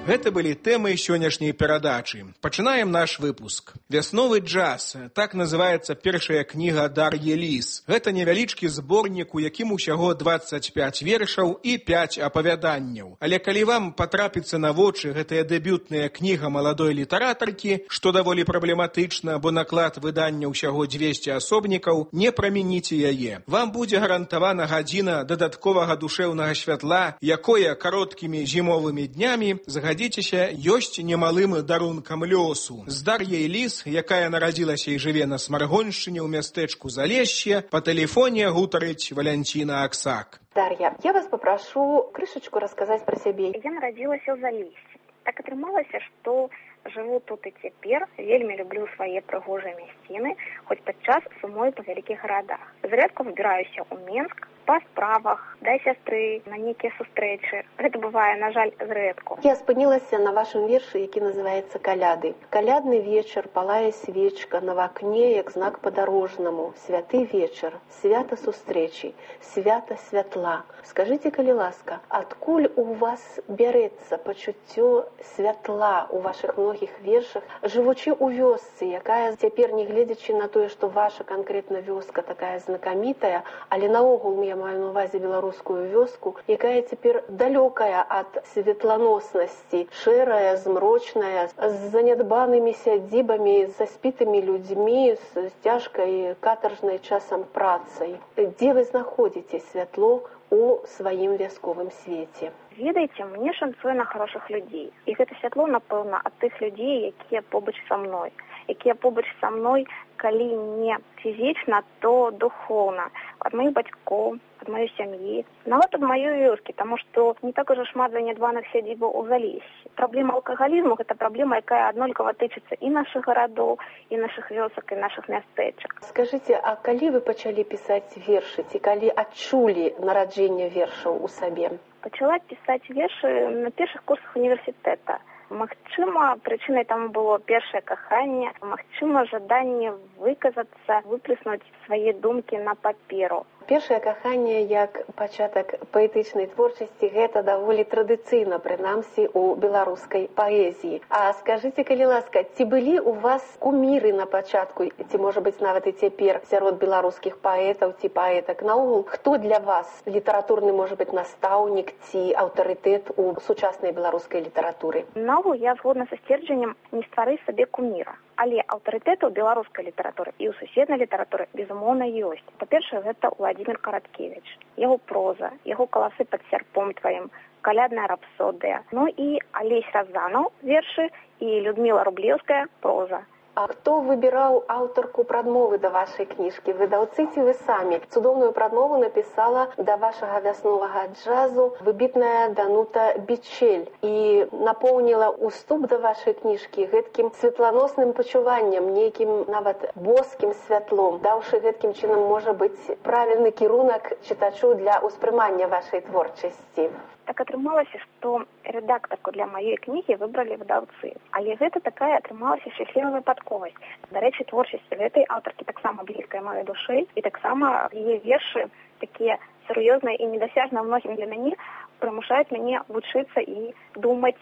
Гэта былі тэмы сённяшняй перадачы. Пачынаем наш выпуск. Вясновы джаз. Так называецца першая кніга Дар'і Ліс. Гэта невялічкі зборнік, у якім усяго дваццаць пяць вершаў і пяць апавяданняў. Але калі вам патрапіцца на вочы гэтая дэбютная кніга маладой літаратаркі, што даволі праблематычна, бо наклад выдання ўсяго дзвесце асобнікаў, не прамяніце яе. Вам будзе гарантавана гадзіна дадатковага душэўнага святла, якое кароткімі зімовымі днямі загадзіцца ёсць немалым дарункам лёсу. З Дар'яй Ліс, якая нарадзілася і жыве на Смаргоншчыне ў мястэчку Залесье, па тэлефоне гутарыць Валянціна Аксак. Дар'я, я вас попрошу крышечку рассказать про сябе. Я нарадзілася ў Залесье. Так атрымалася, што жыву тут і цяпер, вельмі люблю свае прыгожыя мясціны, хоць падчас сумую па вялікіх гарадах. Зрэдку выбіраюся ў Менск, па справах, да сястры, на нейкія сустрэчы. Гэта бывае, на жаль, зрэдку. Я спынілася на вашым вершы, які называецца «Каляды». Калядны вечар, палае свечка, на вакне, як знак падарожнаму. Святы вечар, свята сустрэчы, свята святла. Скажыце, калі ласка, адкуль у вас бярэцца пачуццё святла ў вашых многіх вершах, жывучы ў вёсцы, якая цяпер, не гледзячы на тое, што ваша канкрэтна вёска такая знакамітая, але наогул я маю на увазе беларускую вёску, якая цяпер далёкая ад светланоснасці, шэрая, змрочная, з занядбанымі сядзібамі, з заспітымі людзьмі, з цяжкай катаржнай часам працай. Дзе вы знаходзіце святло у сваім вясковым свеце? Ведаеце, мне шанцуе на хорошых людзей. І гэта святло, напэўна, ад тых людзей, якія побач са мной. Якія побач са мной, калі не фізічна, то духоўна. Ад маіх бацькоў, ад маёй сям'і, нават ад маёй вёскі, таму што не так ужо шмат занядбаных сядзібаў у Залесье. Праблема алкагалізму – гэта праблема, якая аднолькава тычыцца і нашых гарадоў, і нашых вёсак, і нашых мястэчак. Скажыце, а калі вы пачалі пісаць вершы, ці калі адчулі нараджэнне вершаў у сабе? Пачала пісаць вершы на першых курсах універсітэта. Магчыма, прычынай таму было першае каханне, магчыма, жаданне выказацца, выплеснуць свае думкі на паперу. Першае каханне як пачатак паэтычнай творчасці гэта даволі традыцыйна, прынамсі, у беларускай паэзіі. А скажыце, калі ласка, ці былі у вас куміры на пачатку, ці, можа быць, нават і цяпер сярод беларускіх паэтаў ці паэтак? Наогул, хто для вас літаратурны, можа быць, настаўнік ці аўтарытэт у сучаснай беларускай літаратуры? Наогул, я згодна са сцверджаннем не стварыць сабе куміра. Але аўтарытэтаў беларускай літаратуры і ў суседнай літаратуры, безумоўна, ёсць. Па-першае, гэта Владзімір Караткевіч. Яго проза, яго каласы пад сярпом тваім, калядная рапсодыя. Ну і Алесь Разанаў, вершы, і Людміла Рублеўская, проза. А хто выбіраў аўтарку прадмовы да вашай кніжкі? Выдаўцы ці вы самі? Цудоўную прадмову напісала да вашага вясновага джазу выбітная Данута Бичель і напоўніла уступ да вашай кніжкі гэткім светланосным пачуваннем, нейкім нават боскім святлом, даўшы гэткім чынам, можа быць, правільны кірунак чытачу для ўспрымання вашай творчасці. Так атрымалася, што рэдактарку для маёй кнігі выбралі выдаўцы. Але гэта такая атрымалася шчаслівая выпадковасць. Дарэчы, творчасць гэтай аўтаркі таксама блізкая маёй душы, і таксама яе вершы, такія сур'ёзныя і недасяжныя многім для мяне, прымушаюць мяне вучыцца і думаць.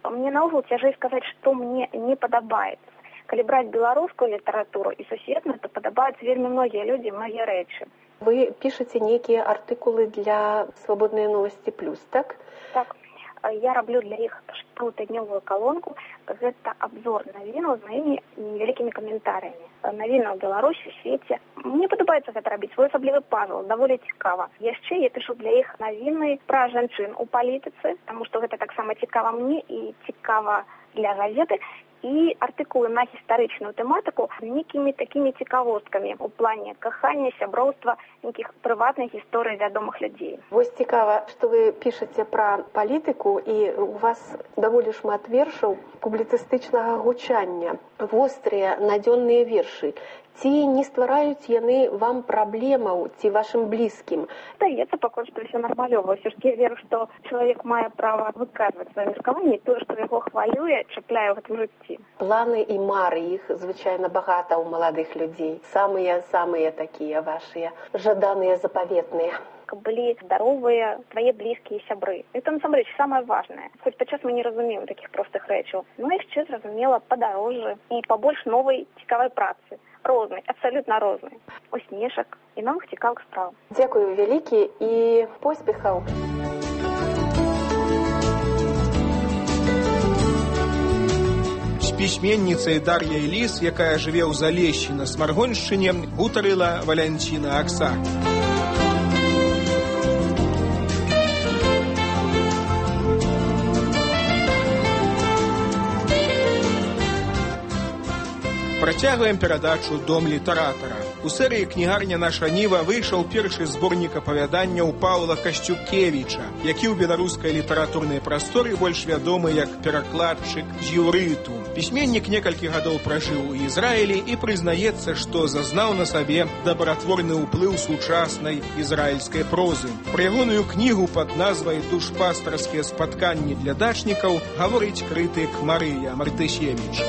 Мне наогул цяжэй сказаць, што мне не падабаецца. Калі браць беларускую літаратуру і сусветную, то падабаюцца вельмі многія людзі, многія рэчы. Вы пішаце нейкія артыкулы для «Свабодныя новасці плюс», так? Так. Я раблю для іх штотыднёвую калонку. Гэта абзор навінаў з маімі невялікімі каментарыямі. Навіны ў Беларусі, свеце. Мне падабаецца гэта рабіць, свой асаблівы пазл, даволі цікава. Яшчэ я пішу для іх навіны пра жанчын у палітыцы, таму што гэта таксама цікава мне і цікава для газеты. І артыкулы на гістарычную тэматыку з нейкімі такімі цікавосткамі у плане кахання, сяброўства, нейкіх прыватных гісторый вядомых людзей. Вось цікава, што вы пішаце пра палітыку, і у вас даволі шмат вершаў публіцыстычнага гучання, вострыя, надзённыя вершы. Ці не ствараюць яны вам праблемаў ці вашым блізкім? Здаецца пакуль што ўсё нармалёва. Ўсё ж я веру, што чалавек мае права выказваць сваё меркаванне, тое, што яго хвалюе, чапляе ў гэтым жыцці. Планы і мары, іх звычайна багата ў маладых людзей. Самыя-самыя такія вашыя, жаданыя, запаветныя. Каб былі здаровыя твае блізкія сябры. Это насамрэч самае важнае. Хоць падчас мы не разумеем такіх простых рэчаў. Ну яшчэ зразумела падарожжа і пабольш новай цікавай працы. Рознай, абсалютна рознай. Усмешак і новых цікавых спраў. Дзякую вялікі і поспехаў. З пісьменніцай Дар'яй Ліс, якая жыве ў Залешші на Смаргоншчыне, гутарыла Валянціна Аксак. Працягваем перадачу «Дом літаратара». У серыі «Кнігарня наша Ніва» выйшаў першы зборнік апавяданняў Паўла Касцюкевіча, які ў беларускай літаратурнай прасторы больш вядомы як перакладчык з іўрыту. Пісьменнік некалькі гадоў пражыў у Ізраілі і прызнаецца, што зазнаў на сабе дабратворны ўплыў сучаснай ізраільскай прозы. Пра ягоную кнігу пад назвай «Душпастарскія спатканні для дачнікаў» гаворыць крытык Марыя Мартысевіч.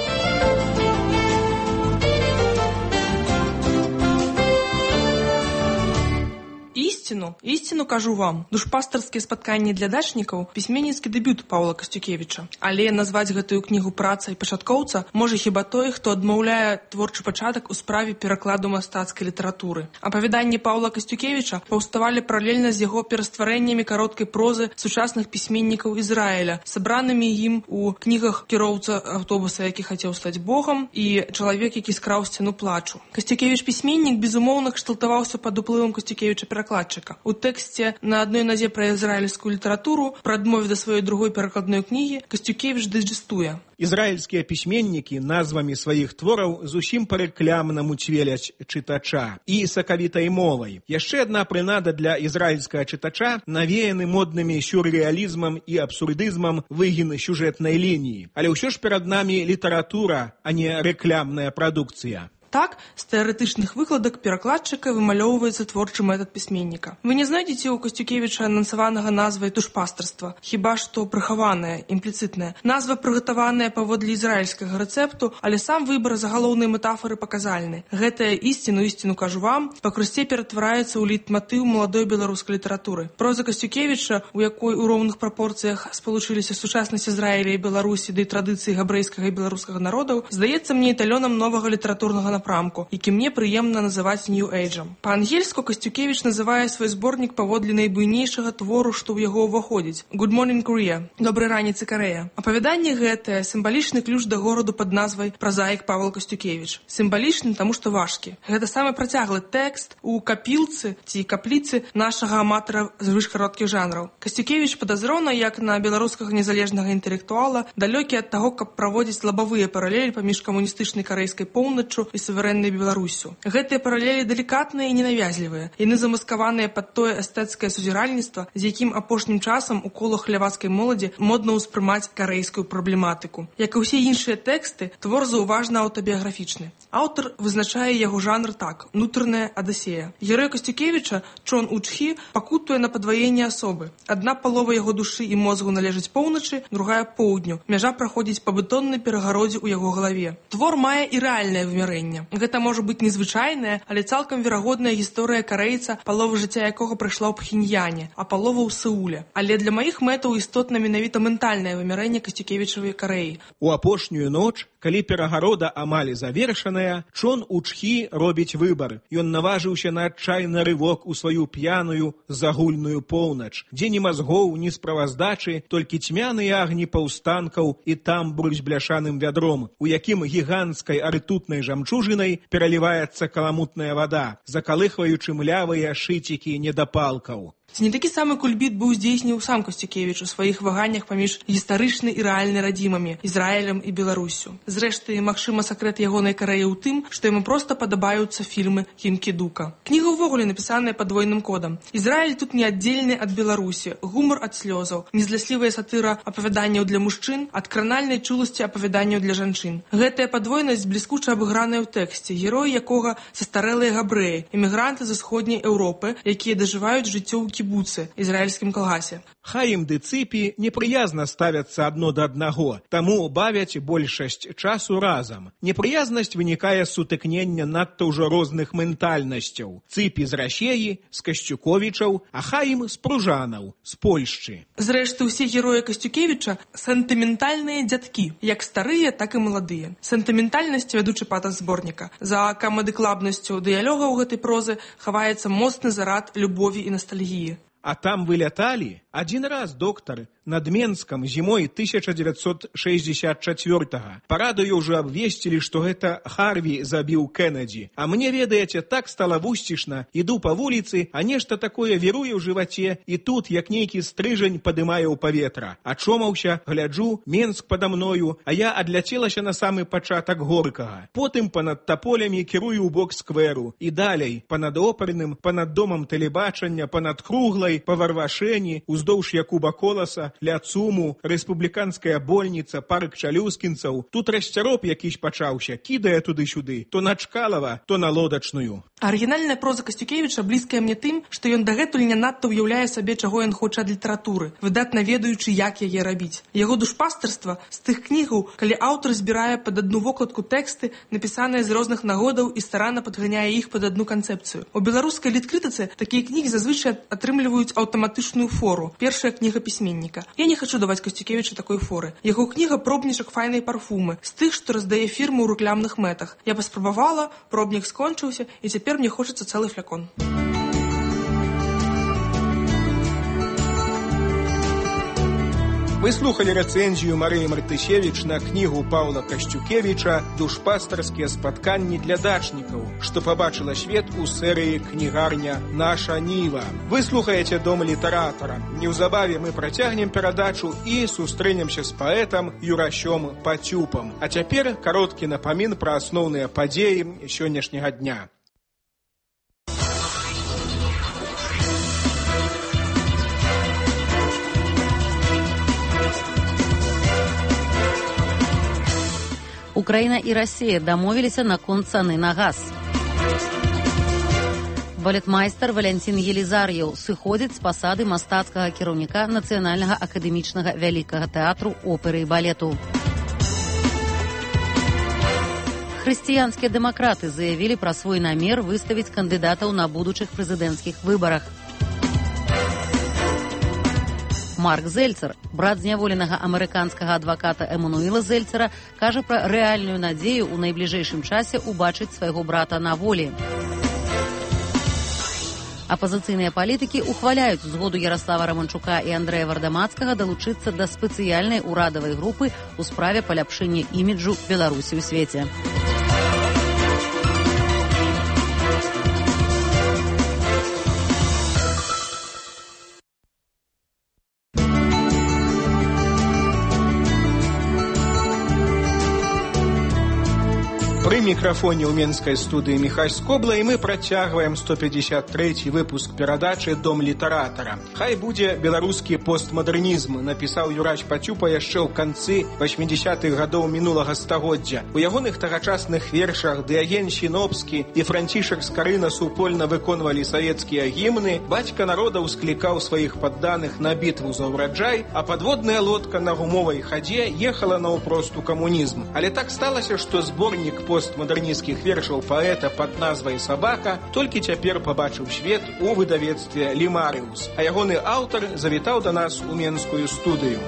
Истину, истину кажу вам. Душпастарскія спатканні для дачнікаў пісьменніцкі дэбют Паўла Касцюкевіча. Але назваць гэтую кнігу працай пачаткоўца можа хіба той, хто адмаўляе творчы пачатак у справе перакладу мастацкай літаратуры. Апавяданні Паўла Касцюкевіча паўставалі паралельна з яго перастварэннямі кароткай прозы сучасных пісьменнікаў Ізраіля, сабранымі ім у кнігах «Кіроўца аўтобуса, які хацеў стаць Богам» і «Чалавек, які скраў сцяну плачу». Касцюкевіч пісьменнік, безумоўна, кшталтаваўся пад уплывам Касцюкевіча перакладчыка. У тэксце на адной назе пра ізраільскую літаратуру, пра адмове да сваёй другой перакладной кнігі, Касцюкевіч дайджэстуе. Ізраільскія пісьменнікі назвамі сваіх твораў зусім па-рэклямнаму цвеляць чытача і сакавітай мовай. Яшчэ адна прынада для ізраільскага чытача навеяны моднымі сюррэалізмам і абсурдызмам выгін сюжэтнай лініі. Але ўсё ж перад намі літаратура, а не рэклямная прадукцыя. Так, з тэарэтычных выкладак перакладчыка вымалёўваецца творчы метад пісьменніка. Вы не знайдзеце ў Касцюкевіча анансаванага назвай душпастарства, хіба што прыхаваная, імпліцытная. Назва прыгатаваная паводле ізраільскага рэцэпту, але сам выбар загалоўнай метафары паказальны. Гэтая ісціну, ісціну кажу вам, пакрусце ператвараецца ў лейтматыў маладой беларускай літаратуры. Проза Касцюкевіча, у якой у роўных прапорцыях спалучыліся сучаснасць Ізраіля і Беларусі ды традыцыі габрэйскага і беларускага народаў, здаецца мне эталёнам новага літаратурнага напрамку, які мне прыемна называць нью-эйджам. Па-ангельску Касцюкевіч называе свой зборнік паводле найбуйнейшага твору, што ў яго ўваходзіць. Good morning, Korea. Добрай раніцы, Карэя. Апавяданне гэтае сімвалічны ключ да гораду пад назвай «Празаік Павел Касцюкевіч». Сімвалічны, таму што важкі. Гэта самы працяглы тэкст у капілцы ці капліцы нашага аматара звышкароткіх жанраў. Касцюкевіч падазрона, як на беларускага незалежнага інтэлектуала, далёкі ад таго, каб праводзіць лабавыя паралелі паміж камуністычнай карэйскай поўначчу і суверэннай Беларусю. Гэтыя паралелі далікатныя і ненавязлівыя. Яны замаскаваныя пад тое эстэцкае судзіральніцтва, з якім апошнім часам у колах лявацкай моладзі модна ўспрымаць карэйскую праблематыку. Як і ўсе іншыя тэксты, твор заўважна аўтабіяграфічны. Аўтар вызначае яго жанр так: «Нутраная адысея». Герой Касцюкевіча, Чон Учхі, пакутуе на падваенне асобы. Адна палова яго душы і мозгу належыць поўначы, другая поўдню. Мяжа праходзіць па бетоннай перагародзе ў яго галаве. Твор мае і рэальнае вымярэнне. Гэта можа быць незвычайная, але цалкам верагодная гісторыя карэйца, палова жыцця якога прайшла ў Пхеньяне, а палова ў Сеуле. Але для маіх мэтаў істотна менавіта ментальнае вымярэнне Касцюкевічавай Карэі. У апошнюю ноч, калі перагарода амаль завершаная, Чон Учхі робіць выбар. Ён наважыўся на адчайны рывок у сваю п'яную загульную поўнач, дзе ні мазгоў, ні справаздачы, толькі цьмяныя агні паўстанкаў і тамбур з бляшаным вядром, у якім гіганцкай ртутнай жамчужынай пераліваецца каламутная вада, закалыхваючы млявыя шыцікі недапалкаў. Ці не такі самы кульбіт быў здзейсніў сам Касцюкевіч у сваіх ваганнях паміж гістарычнай і рэальнай радзімамі, Ізраілем і Беларуссю. Зрэшты, магчыма, сакрэт ягонай кар'еры ў тым, што яму проста падабаюцца фільмы Кінкі-Дука. Кніга ўвогуле напісаная падвойным кодам. Ізраіль тут не аддзелены ад Беларусі, гумар ад слёзаў, незляслівая сатыра апавяданняў для мужчын ад кранальнай чуласці апавяданняў для жанчын. Гэтая падвойнасць бліскуча абыграная ў тэксце, героі якога састарэлыя габрэі, эмігранты з усходняй Еўропы, якія дажываюць жыццё ў кібуцы, ізраільскім калгасе. Хаім ды Цыпі непрыязна ставяцца адно да аднаго, таму бавяць большасць часу разам. Непрыязнасць вынікае з сутыкнення надта ўжо розных ментальнасцяў. Цыпі з Расеі, з Касцюковічаў, а Хаім з Пружанаў, з Польшчы. Зрэшты, усе героі Касцюкевіча сентыментальныя дзядкі, як старыя, так і маладыя. Сентыментальнасць, вядучы патас зборніка. За камедыклабнасцю дыялогаў гэтай прозы хаваецца моцны зарад любові і ностальгіі. А там выляталі адзін раз, доктар, над Менскам зімой тысяча дзевяцьсот шэсцьдзесят чацвёртага. Па радыё ўжо абвесцілі, што гэта Харві забіў Кеннеді. А мне, ведаеце, так стала вусцішна. Іду па вуліцы, а нешта такое віруе ў жываце, і тут, як нейкі стрыжань, падымае ў паветра. Ачомаўся, гляджу, Менск пада мною, а я адляцелася на самы пачатак Горкага. Потым панад таполямі кірую ў бок скверу. І далей, панад оперным, панад домам тэлебачання, панад Круглай, па Варвашэні, уздоўж Якуба Коласа, ля Цуму, рэспубліканская больніца, парк чалюскінцаў. Тут расцяроб якісь пачаўся, кідае туды-сюды, то на Чкалава, то на Лодачную. Арыгінальная проза Касцюкевіча блізкая мне тым, што ён дагэтуль не надта ўяўляе сабе, чаго ён хоча ад літаратуры, выдатна ведаючы, як яе рабіць. Яго душпастарства з тых кнігаў, калі аўтар збірае пад адну вокладку тэксты, напісаныя з розных нагодаў і старанна падганяе іх пад адну канцэпцыю. У беларускай літкрытыцы такія кнігі зазвычай атрымліваюць аўтаматычную фору. Першая кніга пісьменніка. Я не хочу даваць Касцюкевічу такой форы. Яго кніга пробнічак файнай парфумы, з тых, што раздае фірму ў рэкламных мэтах. Я паспрабавала, пробнік скончыўся, і цяпер мне хочацца цэлы флякон. Вы слухали рэцэнзію Марыі Мартысевіч на кнігу Паўла Касцюкевіча «Душпастарскія спатканні для дачнікаў», што пабачыла свет у серыі «Кнігарня Наша Ніва». Вы слухаеце Дом літаратара. Неўзабаве мы працягнем перадачу і сустрэнемся з паэтам Юрасём Пацюпам. А цяпер кароткі напамін пра асноўныя падзеі сённяшняга дня. Украина и Россия дамовіліся наконт цаны на газ. Балетмайстар Валянцін Елізар'еў сыходзіць з пасады мастацкага кіраўніка Нацыянальнага акадэмічнага вялікага тэатру оперы і балету. Хрысціянскія дэмакраты заявілі пра свой намер выставіць кандыдатаў на будучых прэзідэнцкіх выбарах. Марк Зельцер, брат зняволенага амерыканскага адваката Эмануэла Зельцера, кажа пра рэальную надзею ў найбліжэйшым часе убачыць свайго брата на волі. Апазіцыйныя палітыкі ухваляюць згоду Яраслава Раманчука і Андрэя Вардамацкага далучыцца да спецыяльнай урадавай групы ў справе паляпшэння іміджу Беларусі ў свеце. Пры мікрафоне ў менскай студыі Міхась Скобла, і мы працягваем сто пятьдесят трэці выпуск перадачы «Дом літаратара». Хай будзе беларускі постмадэрнізм, напісаў Юрась Пацюпа яшчэ ў канцы васьмідзесятых гадоў мінулага стагоддзя. У ягоных тагачасных вершах Дыаген Сінопскі і Францішак Скарына супольна выконвалі савецкія гімны, бацька народа ўсклікаў сваіх падданых на бітву за ўраджай, а падводная лодка на гумовай хадзе ехала наўпрост у камунізм. Але так сталася, што зборнік постмадэрнісцкіх вершаў паэта пад назвай «Сабака» толькі цяпер пабачыў свет у выдавецтве «Лімарыус», а ягоны аўтар завітаў да нас у менскую студыю.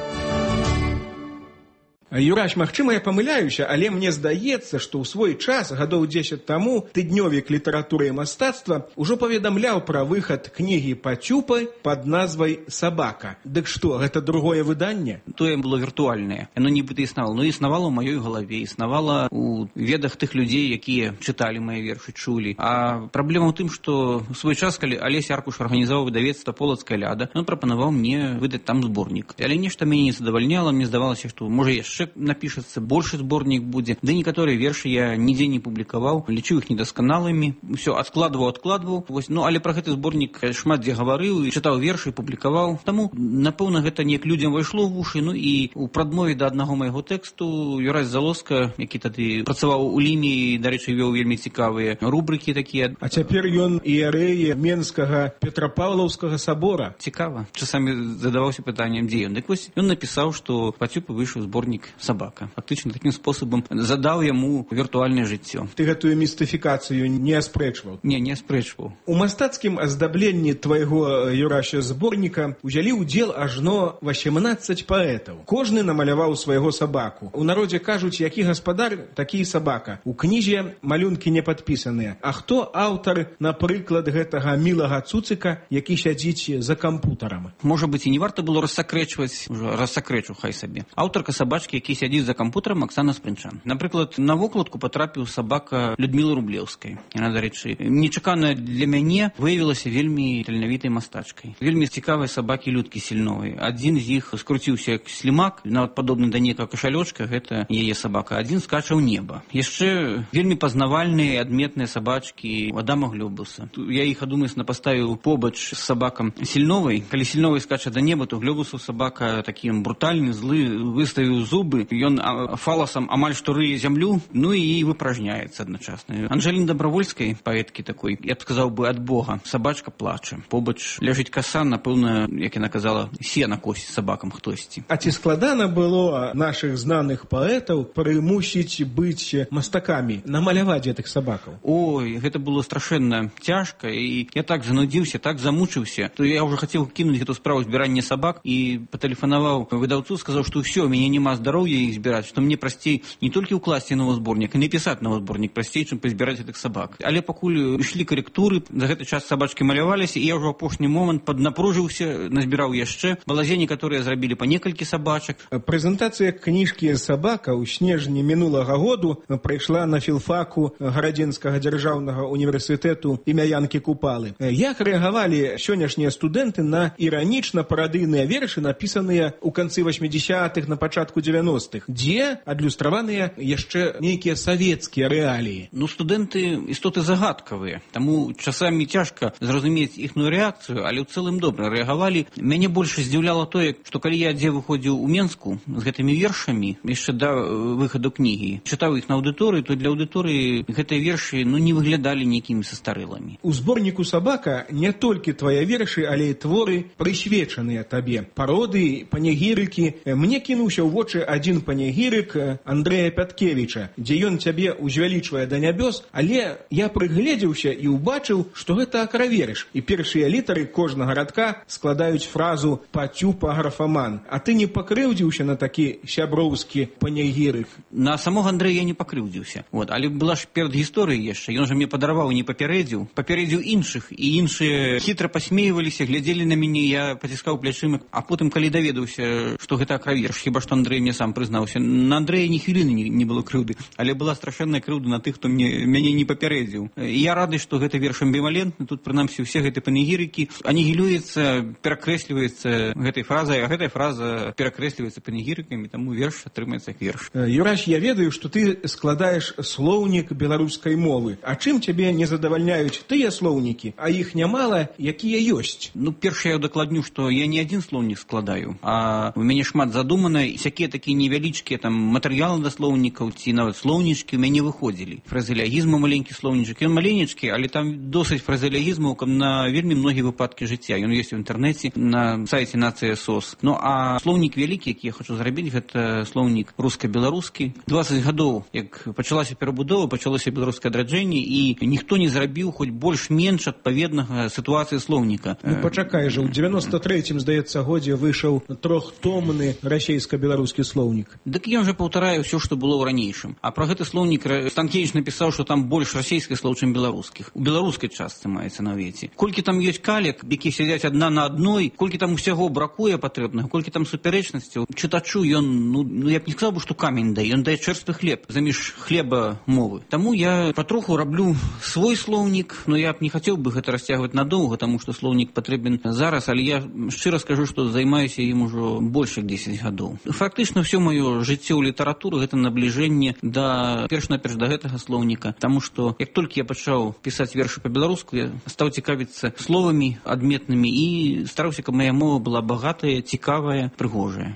Юраш, магчыма, я памыляюся, але мне здаецца, што ў свой час, гадоў дзесяць таму, тыднёвік літаратуры і мастацтва ўжо паведамляў пра выхад кнігі Пацюпы пад назвай «Сабака». Дык што, гэта другое выданне? Тое было віртуальнае. Яно нібыта існавала. Но існавала ў маёй галаве, існавала ў ведах тых людзей, якія чыталі мае вершы, чулі. А праблема ў тым, што ў свой час, калі Алесь Аркуш арганізаваў выдавецтва «Полацкая ляда», ён прапанаваў мне выдаць там зборнік. Але нешта мяне не задавальняла, мне здавалася, што можа яшчэ напішацца, большы зборнік будзе. Ды некаторыя вершы я нідзе не публікаваў, лічыў іх недасканалымі, усё адкладваў, адкладваў. Вось, ну, але пра гэты зборнік шмат дзе гаварыў, і чытаў вершы, публікаваў. Таму, напэўна, гэта неяк людзям вайшло ў вушы. Ну і ў прадмове да аднаго майго тэксту Юрась Залоска, які тады працаваў у ліме і, дарэчы, вёў вельмі цікавыя рубрыкі такія. А цяпер ён іерэй Менскага Петрапаўлаўскага сабора. Цікава. Часамі задаваўся пытаннем, дзе ён. Дык вось ён напісаў, што Пацюпы выйшаў зборнік «Сабака». Фактычна такім спосабам задаў яму віртуальнае жыццё. Ты гэтую містыфікацыю не аспрэчваў? Не, не аспрэчваў. У мастацкім аздабленні твайго, Юрася, зборніка узялі ўдзел ажно васемнаццаць паэтаў. Кожны намаляваў свайго сабаку. У народзе кажуць, які гаспадар, такі і сабака. У кнізе малюнкі не падпісаныя. А хто аўтар, напрыклад, гэтага мілага цуцыка, які сядзіць за кампутарам? Можа быць, і не варта было рассакрэчваць, ужо рассакрэчу, хай сабе. Аўтарка сабачкі, які сядзіць за кампутарам, Аксана Спрынчан. Напрыклад, на вокладку патрапіў сабака Людмілы Рублеўскай. Яна, дарэчы, нечакана для мяне выявілася вельмі таленавітай мастачкай. Вельмі цікавыя сабакі Людкі Сільновай. Адзін з іх скруціўся як слімак, нават падобны да некага кашалёчка, гэта яе сабака. Адзін скача ў неба. Яшчэ вельмі пазнавальныя і адметныя сабачкі Адама Глёбуса. Я іх адумысна паставіў побач з сабакам Сільновай. Калі Сільновай скача да неба, то Глёбусу сабака такі брутальны, злы, выставіў зубы, ён фаласам амаль што рые зямлю, ну і выпражняецца адначасна. Анжеліны Дабравольскай, паэткі такой, я б сказаў бы, ад Бога, сабачка плача. Побач ляжыць каса, напэўна, як яна казала, сена косіць сабакам хтосьці. А ці складана было нашых знаных паэтаў прымусіць быць мастакамі, намаляваць гэтых сабакаў? Ой, гэта было страшэнна цяжка, і я так занудзіўся, так замучыўся, то я ўжо хацеў кінуць гэту справу збірання сабак і патэлефанаваў выдаўцу, сказаў, што ўсё, у мяне няма здароўя іх збіраць, што мне прасцей не толькі ўкласці новы зборнік, і напісаць новы зборнік прасцей, чым пазбіраць гэтых сабак. Але пакуль ішлі карэктуры, за гэты час сабачкі маляваліся, і я ўжо ў апошні момант паднапружыўся, назбіраў яшчэ. Балазе некаторыя зрабілі па некалькі сабачак. Прэзентацыя кніжкі «Сабака» ў снежні мінулага году прайшла на філфаку Гарадзенскага дзяржаўнага універсітэту імя Янкі Купалы. Як рэагавалі сённяшнія студэнты на іранічна-парадыйныя вершы, напісаныя ў канцы васьмідзясятых, на пачатку дзевяностых, дзе адлюстраваныя яшчэ нейкія савецкія рэаліі? Ну, студэнты істоты загадкавыя, таму часамі цяжка зразумець іхную рэакцыю, але ў цэлым добра рэагавалі. Мяне больш здзіўляла тое, што калі я дзе выходзіў у Менску з гэтымі вершамі, яшчэ да выхаду кнігі, чытаў іх на аўдыторыі, то для аўдыторыі гэтыя вершы, ну, не выглядалі нейкімі састарэлымі. У зборніку «Сабака» не толькі твае вершы, але і творы, прысвечаныя табе. Пароды, панегірыкі. Мне кінуўся ў вочы адзін панегірык Андрэя Пяткевіча, дзе ён цябе узвялічвае да нябёс, але я прыгледзеўся і ўбачыў, што гэта акраверш, і першыя літары кожнага радка складаюць фразу «Пацюпа графаман». А ты не пакрыўдзіўся на такі сяброўскі панегірык? На самога Андрэя я не пакрыўдзіўся. Вот. Але была ж перад гісторыяй яшчэ. Ён жа мне падараваў і не папярэдзіў. Папярэдзіў іншых, і іншыя хітра пасмейваліся, глядзелі на мяне, я паціскаў плячыма. А потым, калі даведаўся, што гэта акраверш, хіба што Андрэй мне сам прызнаўся, на Андрэя ні хвіліны не, не было крыўды, але была страшэнная крыўда на тых, хто мне, мяне не папярэдзіў. І я рады, што гэты верш амбівалентны, тут прынамсі ўсе гэтыя панегірыкі анігілюецца, перакрэсліваецца гэтай фразай, а гэтая фраза перакрэсліваецца панегірыкамі, таму верш атрымаецца як верш. Юраш, я ведаю, што ты складаеш слоўнік беларускай мовы. А чым цябе не задавальняюць тыя слоўнікі, а іх нямала, якія ёсць? Ну, першае я дакладню, што я не адзін слоўнік складаю, а у мяне шмат задумана, і всякія такія невялічкія там матэрыялы да слоўнікаў ці нават слоўнічкі ў мяне выходзілі. Фразеологізм маленькі слоўнічак, ён маленечкі, але там досыць фразеологізмаў на вельмі многія выпадкі жыцця. Ён ёсць у інтэрнэце на сайце Нацыя СОС. Ну а слоўнік вялікі, які я хочу зрабіць, гэта слоўнік руска-беларускі. дваццаць гадоў, як пачалася перабудова, пачалося беларускае адраджэнне, і ніхто не зрабіў хоць больш-менш адпаведнага сітуацыі слоўніка. Ну пачакай жа, у дзевяноста трэцім, здаецца, годзе выйшаў трохтомны расейска-беларускі слоўнік. слоўнік. Дык ён жа паўтарае ўсё, што было ў ранейшым. А пра гэты слоўнік Станкевіч напісаў, што там больш расійскіх слоў, чым беларускіх. У беларускай частцы маецца на ўвеце. Колькі там ёсць калек, які сядзяць адна на адной, колькі там усяго бракуе патрэбнага, колькі там суперечнасцяў, чытачу ён, ну, ну я б не сказаў бы, што камень дае, ён дае чэрствы хлеб заміж хлеба мовы. Таму я патроху раблю свой слоўнік, но я б не хацеў бы гэта расцягваць надоўга, таму што слоўнік патрэбен зараз, але я шчыра скажу, што займаюся ім ужо больш як дзесяць гадоў. Фактычна ўсё маё жыццё ў літаратуры гэта набліжэнне да перш-наперш да гэтага слоўніка, таму што як толькі я пачаў пісаць вершы па-беларуску, я стаў цікавіцца словамі адметнымі і стараўся, каб моя мова была багатая, цікавая, прыгожая.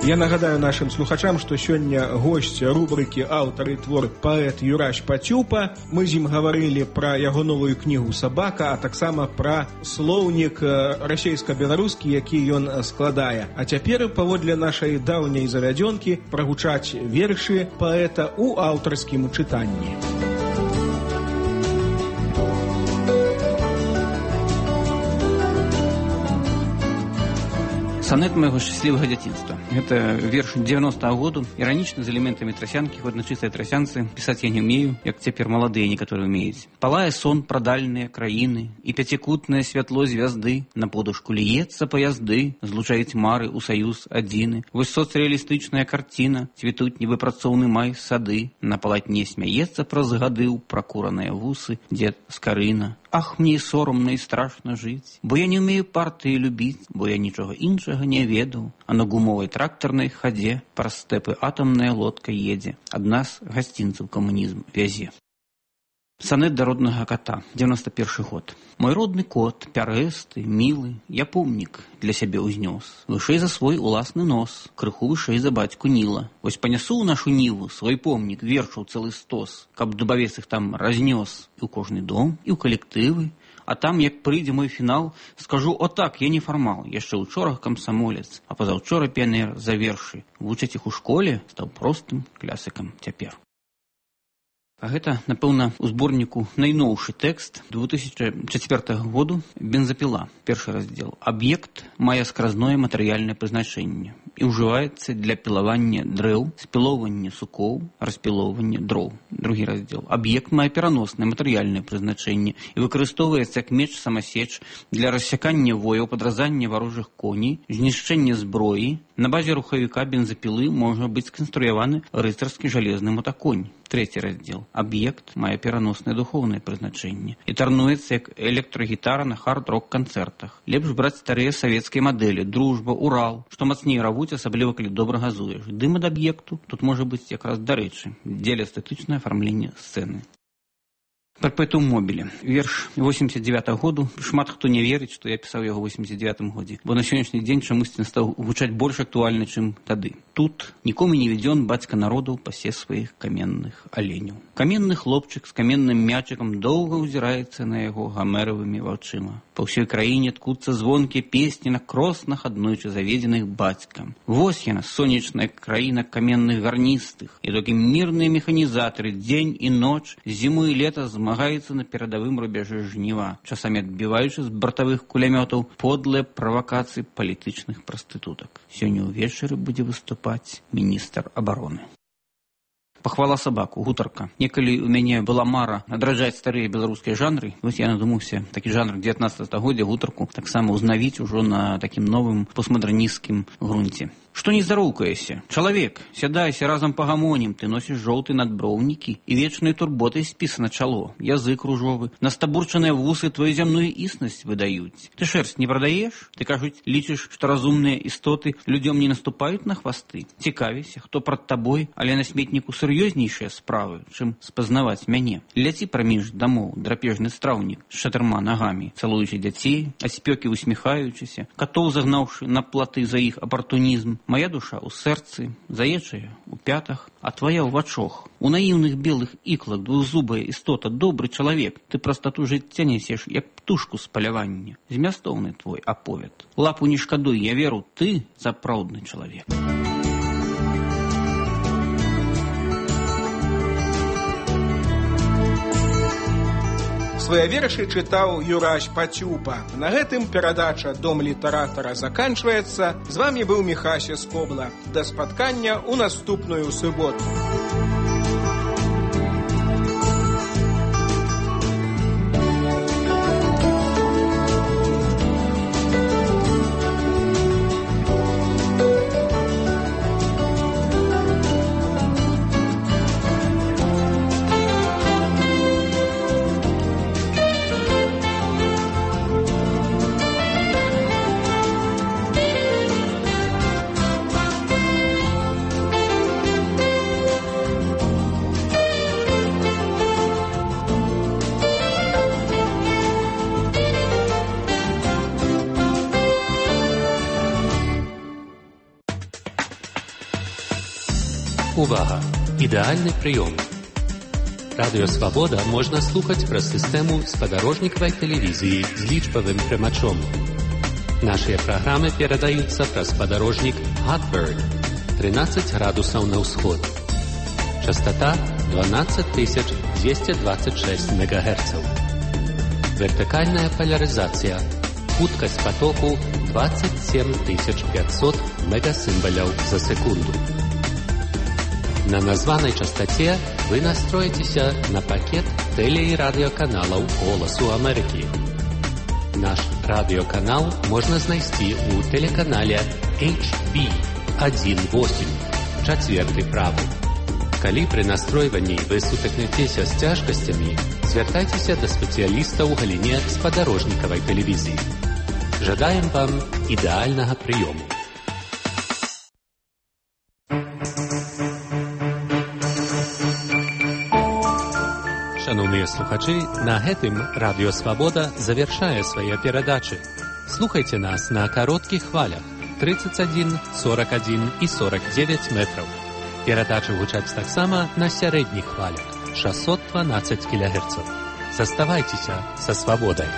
Я нагадаю нашим слухачам, што сёння госць рубрыкі «Аўтар і твор» паэт Юрась Пацюпа. Мы з ім гаварылі пра яго новую кнігу «Сабака», а таксама пра слоўнік расейска-беларускі, які ён складае. А цяпер, паводле нашай даўняй завядзёнкі, прагучаць вершы паэта ў аўтарскім чытанні. Сонет моего счастливого детства. Это верш девяностого года, иронично, с элементами тросянки, хоть на чистой тросянце. Писать я не умею, як теперь молодые некоторые умеют. Палая сон про дальние краины, и пятикутное святло звезды на подушку льется поязды, злучает мары у союз адзіны. Вось соцреалистичная картина, цветут невыпрацоўны май сады, на полотне смяецца праз гады ў пракураныя вусы дед Скарына. Ах, мне соромно и страшно жить, бо я не умею партии любить, бо я нічога іншага не ведаў, а на гумовай тракторнай хадзе праз стэпы атомная лодка едзе, ад нас гасцінцаў камунізм вязе. Сонет до родного кота, девяносто первый год. Мой родный кот, пярэсты, милый, я помнік для сябе ўзнёс. Вышэй за свой уласны нос, крыху вышэй за бацьку Ніла. Вось панясу ў нашу ніву свой помнік, вершаў цэлы стос, каб дубавец іх там разнёс і ў кожны дом, і ў калектывы. А там, як прыйдзе мой фінал, скажу, о так, я не фармал, яшчэ учора камсамолец, а пазаўчора піянер за вершы. Вучаць іх у школе, стаў простым клясыкам цяпер. А гэта, напэўна, у зборніку найноўшы тэкст две тысячи четвёртого году «Бензапіла», першы раздзел. Аб'ект мае скразное матэрыяльнае прызначэнне і ўжываецца для пілавання дрэў, спілоўвання сукоў, распілоўвання дроў. Другі раздзел. Аб'ект мае пераноснае матэрыяльнае прызначэнне і выкарыстоўваецца як меч-самасеч для рассякання вояў, падразання варожых коней, знішчэння зброі. На базе рухавіка бензапілы можа быць сканструяваны рыцарскі жалезны мотаконь. Третий раздел. Объект мае пераноснае духоўнае прызначэнне і тарнуецца як электрагітара на хард-рок-канцэртах. Лепш браць старыя савецкія мадэлі, дружба, Урал, што мацней равуць, асабліва калі добра газуеш. Дым ад аб'екту тут можа быць якраз дарэчы, дзеля эстэтычнае афармленне сцэны. Перпетум мобіле. Верш восемьдесят девятого году. Шмат хто не верыць, што я пісаў яго ў восемьдесят девятом годзе, бо на сённяшні дзень чамусьці стаў гучаць больш актуальны, чым тады. Тут нікому не ведзён бацька народу пасе сваіх каменных аленяў. Каменны хлопчык з каменным мячыкам доўга ўзіраецца на яго гамеравымі вачыма. Па ўсёй краіне ткуцца звонкія песні на кроснах, аднойчы заведзеных бацькам. Вось яна, сонечная краіна каменных гарністых, і толькі мірныя механізатары дзень і ноч, зіму і лета змагаюцца на перадавым рубяжы жніва, часамі адбіваючы з бартавых кулямётаў подлыя правакацыі палітычных прастытутак. Сёння ўвечары будзе выступаць міністр абароны. Пахвала сабаку, гутарка. Некалі у мяне была мара адраджаць старыя беларускія жанры. Вось я надумаўся такі жанр дзевятнадцатого стагоддзя, гутарку, таксама ўзнавіць ужо на такім новым постмадэрнісцкім грунце. Што не здароўкаешся? Чалавек, сядайся разам пагамонім, ты носіш жоўты надброўнікі і вечнай турботай спісана чало, язык ружовы, настабурчаныя вусы твою зямную існасць выдаюць. Ты шэрсць не прадаеш? Ты, кажуць, лічыш, што разумныя істоты людзём не наступаюць на хвасты? Цікавіся, хто прад табой, але на сметніку сур'ёзнейшыя справы, чым спазнаваць мяне. Ляці праміж дамоў драпежны страўнік з чатырма нагамі, цалуючы дзяцей, а спёкі усміхаючыся, катоў загнаўшы на платы за іх апартунізм. Моя душа у сэрцы, заечая у пятах, а твоя ў вачох. У наіўных белых іклах двухзубая істота, добры чалавек. Ты прастату жыцця нясеш, як птушку з палявання. Змястоўны твой аповед. Лапу не шкадуй, я веру, ты сапраўдны чалавек. Свае вершы чытаў Юрась Пацюпа. На гэтым перадача «Дом літаратара» заканчваецца. З вамі быў Міхася Скобла. Да спаткання ў наступную суботу. Увага! Ідэальны прыём. Радыё Свабода можна слухаць праз сістэму спадарожнікавай тэлевізіі з лічбавым прымачом. Нашыя праграмы перадаюцца праз спадарожнік Hotbird тринадцать градусаў на ўсход. Частота дванадцать тысяч двести двадцать шесть мегагерцаў. Вертыкальная поляризация. Хуткасць потоку двадцать семь тысяч пятьсот мегасимволяў за секунду. На названай частоте вы настроитеся на пакет теле- и радиоканалаў «Голосу Америки». Наш радиоканал можно знайсці у телеканале эйч би один восемь, четвертый правы. Калі пры настройванні вы сутыкнецеся з цяжкасцямі, звяртайцеся да спецыяліста ў галіне спадарожнікавай тэлевізіі. Жадаем вам ідэальнага прыёму. Шановныя слухачы, на гэтым Радыё Свабода завяршае свае перадачы. Слухайце нас на кароткіх хвалях тридцать один, сорок один и сорок девять метраў. Перадачы гучаць таксама на сярэдніх хвалях шестьсот двенадцать килогерцаў. Заставайцеся са свабодай.